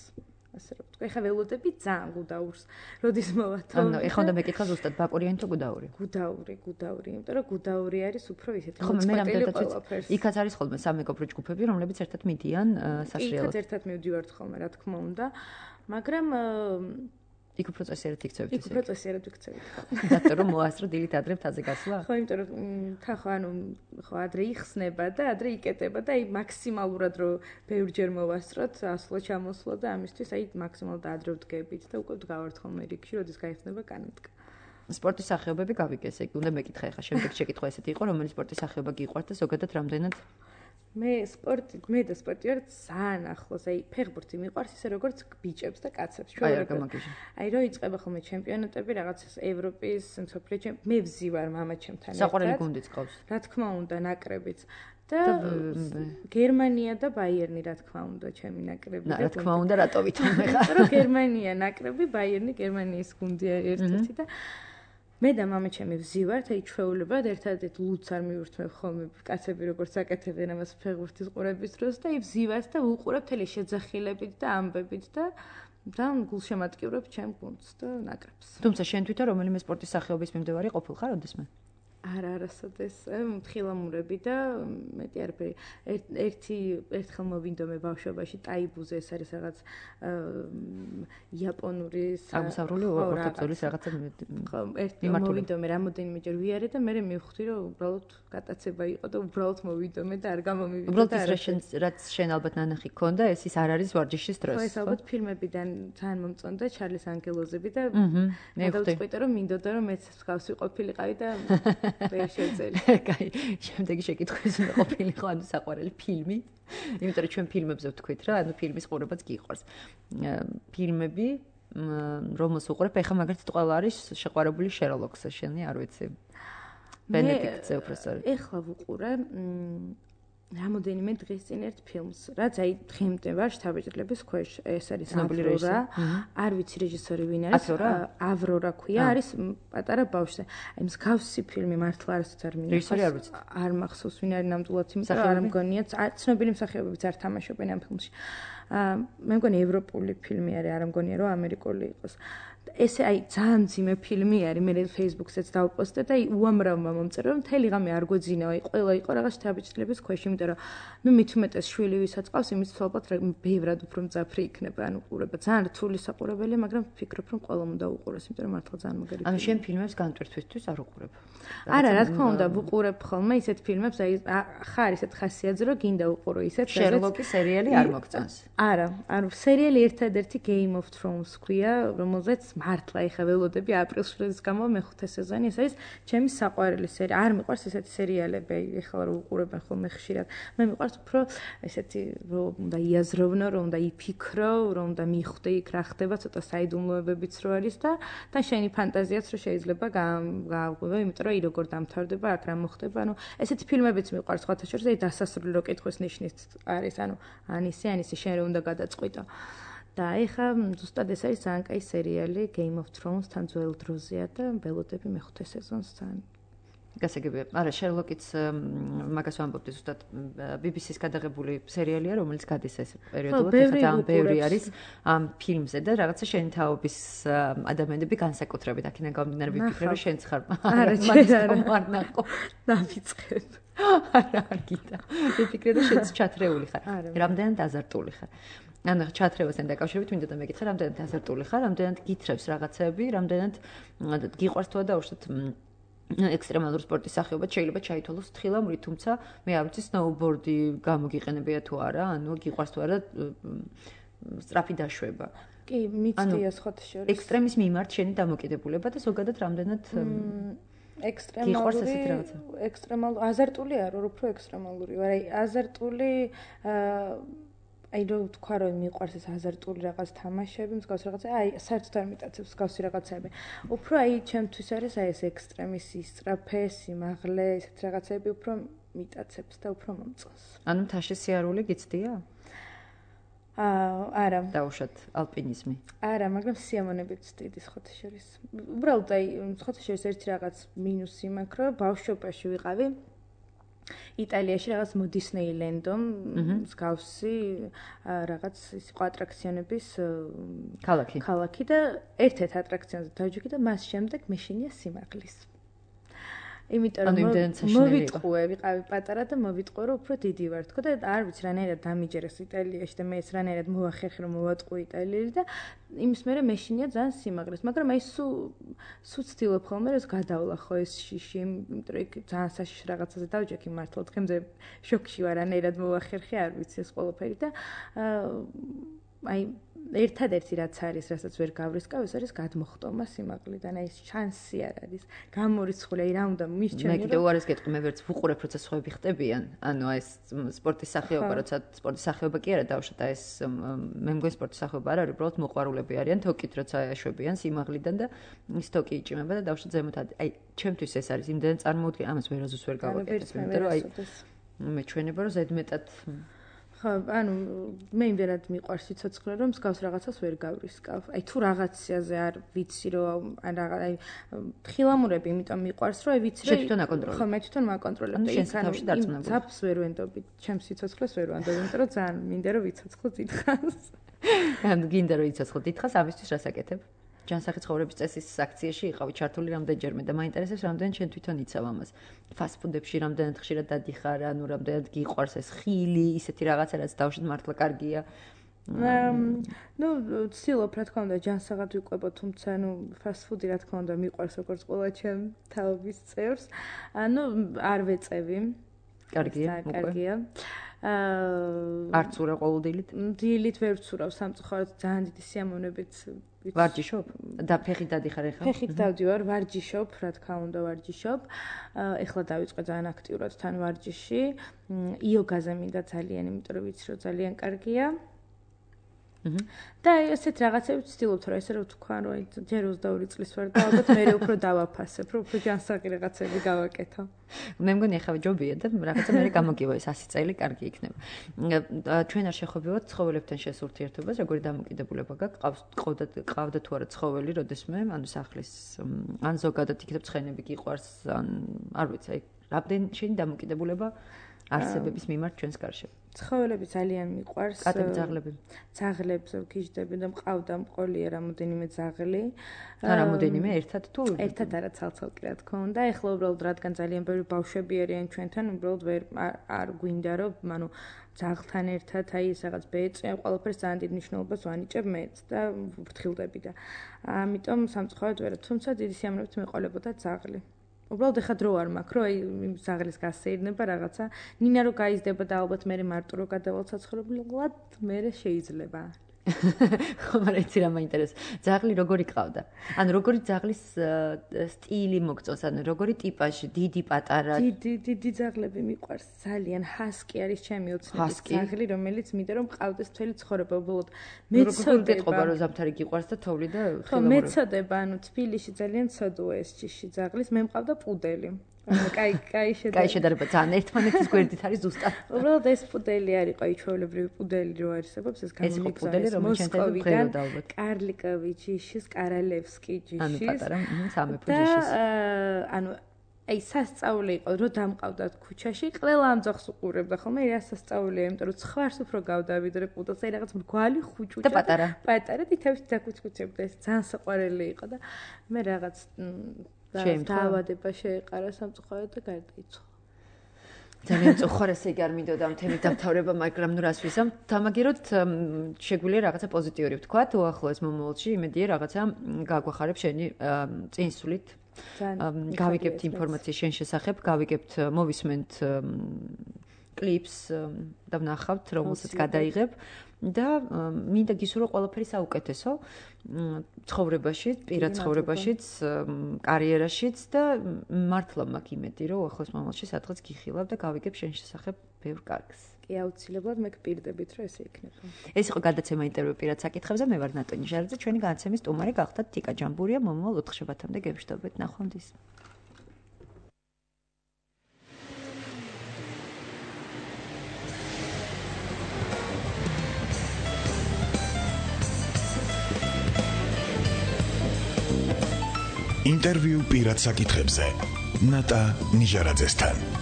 ასე რომ ვთქვა, ეხა ველოდები ძალიან გუდაურს, როდის მოვათო. ანუ ეხა უნდა მეკითხა ზუსტად ბაკურიანი თუ გუდაური? გუდაური, გუდაური, იმიტომ რომ გუდაური არის უფრო ისეთი მოწყვეტილი ყველაფერს. იქაც არის ხოლმე სამეგობრო ჯგუფები, რომლებიც ერთად მიდიან სასრიალოდ. იქაც ერთად მივდივართ ხოლმე, რა თქმა უნდა, მაგრამ იქ უფრო წესიერად იქცევით ისე. იქ უფრო წესიერად იქცევით. რატო რომ მოასწრო დილით ადრე მთაზე გასვლა? ხო, იმიტომ რომ თა ხო ანუ ხო ადრე იხსნება და ადრე იკეტება და აი მაქსიმალურად რომ ბევრჯერ მოვასწროთ, ასვლა ჩამოსვლა და ამისთვის აი მაქსიმალურად ადრე ვდგებით და უკვე ვდგავართ ხოლმე რიგში, როდის გაიხსნება კანატკა. სპორტის სახეობები გავიგე, ესე იგი, უნდა მეკითხა ახლა შემდეგ შეკითხვა ესეთი იყო, რომელი სპორტის სახეობა გიყვართ და ზოგადად რამდენად მე სპორტი, მე და სპორტი ვარ ძალიან ახლოს, აი ფეხბურთი მიყვარს ისე როგორც ბიჭებს და კაცებს. აი რო იწყება ხოლმე ჩემპიონატები, რაღაც ევროპის, მსოფლიო ჩემპიონატები, მე ვზივარ მამაჩემთან ერთად. საყვარელი გუნდიც ყავს. რა თქმა უნდა, ნაკრებიც. და გერმანია და ბაიერნი, რა თქმა უნდა, ჩემი ნაკრები. რა თქმა უნდა, რატო ვითომ ხარ? იმიტომ რომ გერმანია ნაკრები, ბაიერნი გერმანიის გუნდია ერთ-ერთი და მე და მამაჩემი ვზივართ, აი ჩვეულებად ერთადერთ ლუც არ მივურთმევ ხოლმე კაცები როგორც აკეთებენ ამას ფეხბურთის ყურების დროს და აი ვზივართ და ვუყურებ თელი შეძახილებით და ამბებით და ძალიან გულშემატკივრებ ჩემ გუნდს და ნაკრებს. თუმცა შენ თვითონ რომელიმე სპორტის სახეობის მიმდევარი ყოფილ ხარ ოდესმე? არა, არასოდეს თხილამურები და მეტი არაფერი. ერთი ერთხელ მოვინდომე ბავშვობაში ტაიბუზე, ეს არის რაღაც იაპონური აღმოსავლური ორთაბრძოლის რაღაცა მოვინდომე რამოდენიმეჯერ ვიარე და მე მივხვდი რომ უბრალოდ გატაცება იყო და უბრალოდ მოვინდომე და არ გამომივიდა. უბრალოდ ის რაც შენ ალბათ ნანახი გქონდა, ეს ის არ არის ვარჯიშის დროს. ხო, ეს ალბათ ფილმებიდან ძალიან მომწონდა ჩარლის ანგელოზები და მე დავწყვიტე რომ მინდოდა რომ მეც მსგავსი ყოფილიყავი და ვერ შეძლე. კაი, შემდეგი შეკითხვის უნდა ყოფილიყო ანუ საყვარელი ფილმი. იმიტომ რომ ჩვენ ფილმებზე ვთქვით რა, ანუ ფილმის ყურებაც გიყვარს. ფილმები, რომელს უყურებ, ეხლა მაგალითად ყველა არის შეყვარებული შერლოკზე, შენი არ ვიცი. ბენედიქტზე უფრო სწორედ. ეხლა ვუყურე რამოდენიმე დღის წინ ერთ ფილმს, რაც აი დღემდე ვარ შთაბეჭდილების ქვეშ, ეს არის ავრორა. არ ვიცი რეჟისორი ვინ არის. ავრორა ქვია, არის პატარა ბავშვზე. აი მსგავსი ფილმი მართლა არასდროს არ მინახავს. რეჟისორი არ ვიცი. არ მახსოვს ვინ არის ნამდვილად, იმიტომ რომ არ მგონია, ცნობილი მსახიობებიც არ თამაშობენ ამ ფილმში. აა მე მგონი ევროპული ფილმი არის, არ მგონია რომ ამერიკული იყოს. ესე აი ძალიან ძიმე ფილმი არის, მე Facebook-ზეც დავპოსტე და აი უამრავმა მომწერა რომ მთელი ღამე არ გვეძინა, აი ყველა იყო რაღაც შთაბეჭდილების ქვეშ, იმიტომ რომ ნუ მით უმეტეს შვილი ვისაც ყავს, იმის თვალყოთ ბევრად უფრო მძაფრი იქნება, ანუ ყურება ძალიან რთული საყურებელია, მაგრამ ვფიქრობ რომ ყველამ უნდა უყუროს, იმიტომ რომ მართლა ძალიან მაგარი. ანუ შენ ფილმებს განტვირთვისთვის არ უყურებ? არა, რა თქმა უნდა, ვუყურებ ხოლმე ისეთ ფილმებს, აი ხარ ისეთ ხასიათზე რომ გინდა უყურო ისეთ, შერლოკის სერიალი არ მოგწონს. არა, ანუ სერიალი ერთადერთი Game of Thrones ქვია, რომელზეც მართლა ეხა ველოდები აპრილშვილის გამო მეხუთე სეზონი, ეს არის ჩემი საყვარელი სერია. არ მიყვარს ესეთი სერიალები, ეხლა რომ უყურებენ ხოლმე ხშირად. მე მიყვარს უფრო ესეთი რომ უნდა იაზროვნო, რომ უნდა იფიქრო, რომ უნდა მიხვდე იქ რა ხდება, ცოტა საიდუმლოებებიც რო არის და და შენი ფანტაზიაც რო შეიძლება გააღვივა, იმიტომ რომ აი როგორ დამთავრდება, აქ რა მოხდება, ანუ ესეთი ფილმებიც მიყვარს, სხვათა შორის აი დასასრულო კითხვის ნიშნით არის, ანუ ანისი, ანისი შენ რო უნდა გადაწყვიტო. და ეხა ზუსტად ეს არის ძალიან კაი სერიალი Game of Thrones თან ძველ დროზეა და ველოდები მეხუთე სეზონს ძალიან. გასაგებია. არა, შერლოკიც მაგას ვამბობდი ზუსტად B B C-ს გადაღებული სერიალია, რომელიც გადის ეს პერიოდულად, ეხლა ძალიან ბევრი არის ამ ფილმზე და რაღაცა შენი თაობის ადამიანები განსაკუთრებით აქედან გამომდინარე ვიფიქრე რომ შენც ხარ. არა, შეიძლება არ ნახო. დავიწყებ. არა, არ გიტა. ვიფიქრე რომ შენც ჩათრეული ხარ. რამდენად აზარტული ხარ. ანუ ჩათრევასთან დაკავშირებით მინდა და მეკითხა, რამდენად აზარტული ხარ, რამდენად გითხრებს რაღაცები, რამდენად გიყვარს თუ დაუშვათ ექსტრემალური სპორტის სახეობად შეიძლება ჩაითვალოს თხილამური, თუმცა მე არ ვიცი სნოუბორდი გამოგიყენებია თუ არა, ანუ გიყვარს თუ არა სწრაფი დაშვება. კი, მიცდია სხვათა შორის. ექსტრემის მიმართ შენი დამოკიდებულება და ზოგადად რამდენად ექსტრემალური ექსტრემალური აზარტული არ ვარ, უფრო ექსტრემალური ვარ. აი აზარტული აი რო თქვა რომ მიყვარს ეს აზარტული რაღაც თამაშები, მსგავს რაღაცა, აი საერთოდ არ მიტაცებს მსგავსი რაღაცები. უფრო აი ჩემთვის არის აი ეს ექსტრემის ისწრაფე, სიმაღლე, ესეთ რაღაცები უფრო მიტაცებს და უფრო მომწონს. ანუ მთაში სიარული გიცდია? აა არა. დაუშვათ ალპინიზმი. არა, მაგრამ სიამონებით ვწდიდი სხვათა შორის. უბრალოდ აი სხვათა შორის ერთი რაღაც მინუსი მაქვს, რომ ბავშვობაში ვიყავი იტალიაში რაღაც მოდისნეილენდო მსგავსი რაღაც ის იყო ატრაქციონების ქალაქი. ქალაქი და ერთ-ერთ ატრაქციონზე დავჯექი და მას შემდეგ მეშინია სიმაღლის. იმიტომ რომ მოვიტყუე, ვიყავი პატარა და მოვიტყუე რომ უფრო დიდი ვარ თქო და არ ვიცი რანაირად დამიჯერეს იტალიაში და მე ეს რანაირად მოვახერხე რომ მოვატყუე იტალიელი და იმის მერე მეშინია ძალიან სიმაღლეს, მაგრამ აი სუ სუ ცდილობ ხოლმე რომ გადავლახო ეს შიში, იმიტომ რომ იქ ძალიან საშიში რაღაცაზე დავჯექი მართლა დღემდე შოკში ვარ რანაირად მოვახერხე, არ ვიცი ეს ყველაფერი და აი ერთადერთი რაც არის, რასაც ვერ გავრისკავ, ეს არის გადმოხტომა სიმაღლიდან, აი ეს შანსი არ არის. გამორიცხული, აი რა უნდა მისჩენო. მე კიდევ უარეს გეტყვი, მე ვერც ვუყურებ, როცა სხვები ხტებიან. ანუ აი ეს სპორტის სახეობა, როცა სპორტის სახეობა კი არა დავუშვათ, აი ეს მე მგონი სპორტის სახეობა არ არის, უბრალოდ მოყვარულები არიან, თოკით როცა აშვებიან სიმაღლიდან და ის თოკი იჭიმება და დავუშვათ ზემოთ. აი ჩემთვის ეს არის, იმდენ წარმოუდგენ, ამას ვერაზუს ვერ გავაკეთებ, იმიტომ რომ აი მე ჩვენება რომ ზედმეტად ხო, ანუ მე იმდენად მიყვარს სიცოცხლე, რომ მსგავს რაღაცას ვერ გავრისკავ. აი თუ რაღაცაზე არ ვიცი, რომ ან რა აი თხილამურები, იმიტომ მიყვარს, რომ აი ვიცი, რომ თვითონ აკონტროლებ. ხო, მე თვითონ მაკონტროლებ და იქ ანუ ძაფს ვერ ვენდობი, ჩემს სიცოცხლეს ვერ ვანდობ, იმიტომ რომ ძალიან მინდა რომ ვიცოცხლო დიდხანს. ანუ გინდა რომ ვიცოცხლო დიდხანს, ამისთვის რას აკეთებ? ჯანსაღი ცხოვრების წესის აქციაში იყავი ჩართული რამდენჯერმე და მაინტერესებს რამდენ შენ თვითონ იცავ ამას. ფასტ-ფუდებში რამდენად ხშირად დადიხარ, ანუ რამდენად გიყვარს ეს ხილი, ისეთი რაღაცა რაც დავშეთ მართლა კარგია. ნუ ცდილობ რა თქმა უნდა ჯანსაღად ვიყვებო, თუმცა ნუ ფასტ-ფუდი რა თქმა უნდა მიყვარს როგორც ყველა ჩემ თაობის წევრს. ანუ არ ვეწევი. კარგია, კარგია. აა არც ურა ყოველდილით? დილით ვერ ვცურავ სამწუხაროდ ძალიან დიდი სიამოვნებით ვარჯიშობ? და ფეხით დადიხარ ეხლა? ფეხით დავდივარ, ვარჯიშობ, რა თქმა უნდა ვარჯიშობ. ეხლა დავიწყე ძალიან აქტიურად თან ვარჯიში. იოგაზე მინდა ძალიან, იმიტომ რომ ვიცი რომ ძალიან კარგია. და ესეთ რაღაცებს ვცდილობთ რა ესე რომ თქვა რომ აი ჯერ ოცდაორი წლის ვარ და ალბათ მე უფრო დავაფასებ, რომ უფრო ჯანსაღი რაღაცები გავაკეთო. მე მგონი ახლა ჯობია და რაღაცა მე გამოგივა ეს ასი წელი კარგი იქნება. ჩვენ არ შეხვევით ცხოველებთან შესულ ურთიერთობას, როგორი დამოკიდებულება გაქვს, ყავდა ყავდა თუ არა ცხოველი, როდესმე, ანუ სახლის ან ზოგადად იქნებ ცხენები გიყვარს, ან არ ვიცი, აი რამდენი შენი დამოკიდებულება არსებების მიმართ ჩვენს გარშემო. ცხოველები ძალიან მიყვარს. კატები, ძაღლები. ძაღლებს ვგიჟდები და მყავდა მყოლია რამოდენიმე ძაღლი. და რამოდენიმე ერთად თუ ერთად არა ცალ-ცალკე რა თქმა უნდა. ეხლა უბრალოდ რადგან ძალიან ბევრი ბავშვები არიან ჩვენთან, უბრალოდ ვერ არ გვინდა რომ, ანუ ძაღლთან ერთად აი ეს რაღაც ბეწვი, ყველაფერს ძალიან დიდ მნიშვნელობას ვანიჭებ მეც და ვფრთხილდები და ამიტომ სამწუხაროდ ვერა, თუმცა დიდი სიამოვნებით მეყოლებოდა ძაღლი. უბრალოდ ეხა დრო არ მაქვს, რომ აი ზაღლის გასეირნება რაღაცა, ნინა რო გაიზრდება და ალბათ მე მარტო რო გადავალ საცხოვრებლად, მე შეიძლება. ხო, მაგრამ იცი რა მაინტერესებს. ძაღლი როგორი ყავდა? ანუ როგორი ძაღლის სტილი მოგწონს, ანუ როგორი ტიპაჟი, დიდი, პატარა? დიდი, დიდი ძაღლები მიყვარს ძალიან. ჰასკი არის ჩემი ოცნების ძაღლი, რომელიც მინდა რომ ყავდეს მთელი ცხოვრება, უბრალოდ მეცოდება რომ ზამთარი გიყვარს და თოვლი და ხო, მეცოდება, ანუ თბილისში ძალიან ცოდოა ეს ჭიში ძაღლის, მე მყავდა პუდელი. კაი, კაი შედარება. კაი შედარება, ძალიან ერთმანეთის გვერდით არის ზუსტად. უბრალოდ ეს პუდელი არისო, აი ჩვეულებრივი პუდელი რო არსებობს, ეს გამომიგზავნა მოსკოვიდან, კარლიковი ჯიშის, კარალევსკი ჯიშის. ანუ პატარა, სამეფო ჯიშის. და ანუ აი სასწაული იყო, რომ დამყავდათ ქუჩაში, ყველა ამ ძაღლს უყურებდა ხოლმე, რა სასწაულია, იმიტომ რომ ცხვარს უფრო გავდავიდრე პუდელს, აი რაღაც მრგვალი ხუჭუჭა და პატარა. პატარა თითქოს დაკუცკუცებდა, ეს ძალიან საყვარელი იყო და მე რაღაც დაავადება შეეყარა სამწუხაროდ და გარდაიცვალა. ძალიან წუხარ ესე იგი არ მინდოდა ამ თემის დამთავრება, მაგრამ ნუ რას ვიზამ, დამაგეროთ შეგვიძლია რაღაცა პოზიტიური ვთქვათ, უახლოეს მომავალში, იმედია რაღაცა გაგვახარებს შენი წინსვლით. გავიგებთ ინფორმაციის შენ შესახებ, გავიგებთ მოვისმენთ კლიპს და ვნახავთ რომელსაც გადაიღებ და მინდა გისურვო ყველაფერი საუკეთესო ცხოვრებაში, პირად ცხოვრებაშიც, კარიერაშიც და მართლა მაქვს იმედი, რომ ახლოს მომავალში სადღაც გიხილავ და გავიგებ შენ შესახებ ბევრ კარგს. კი, აუცილებლად მე გპირდებით, რომ ესე იქნება. ეს იყო გადაცემა ინტერვიუ პირად საკითხებზე, მე ვარ ნატონი ჟარაძე, ჩვენი განაცემის სტუმარი გახდათ თიკა ჯამბურია, მომავალ ოთხშაბათამდე გევშდობთ, ნახვამდის. ინტერვიუ პირად საკითხებზე ნატა ნიჟარაძესთან.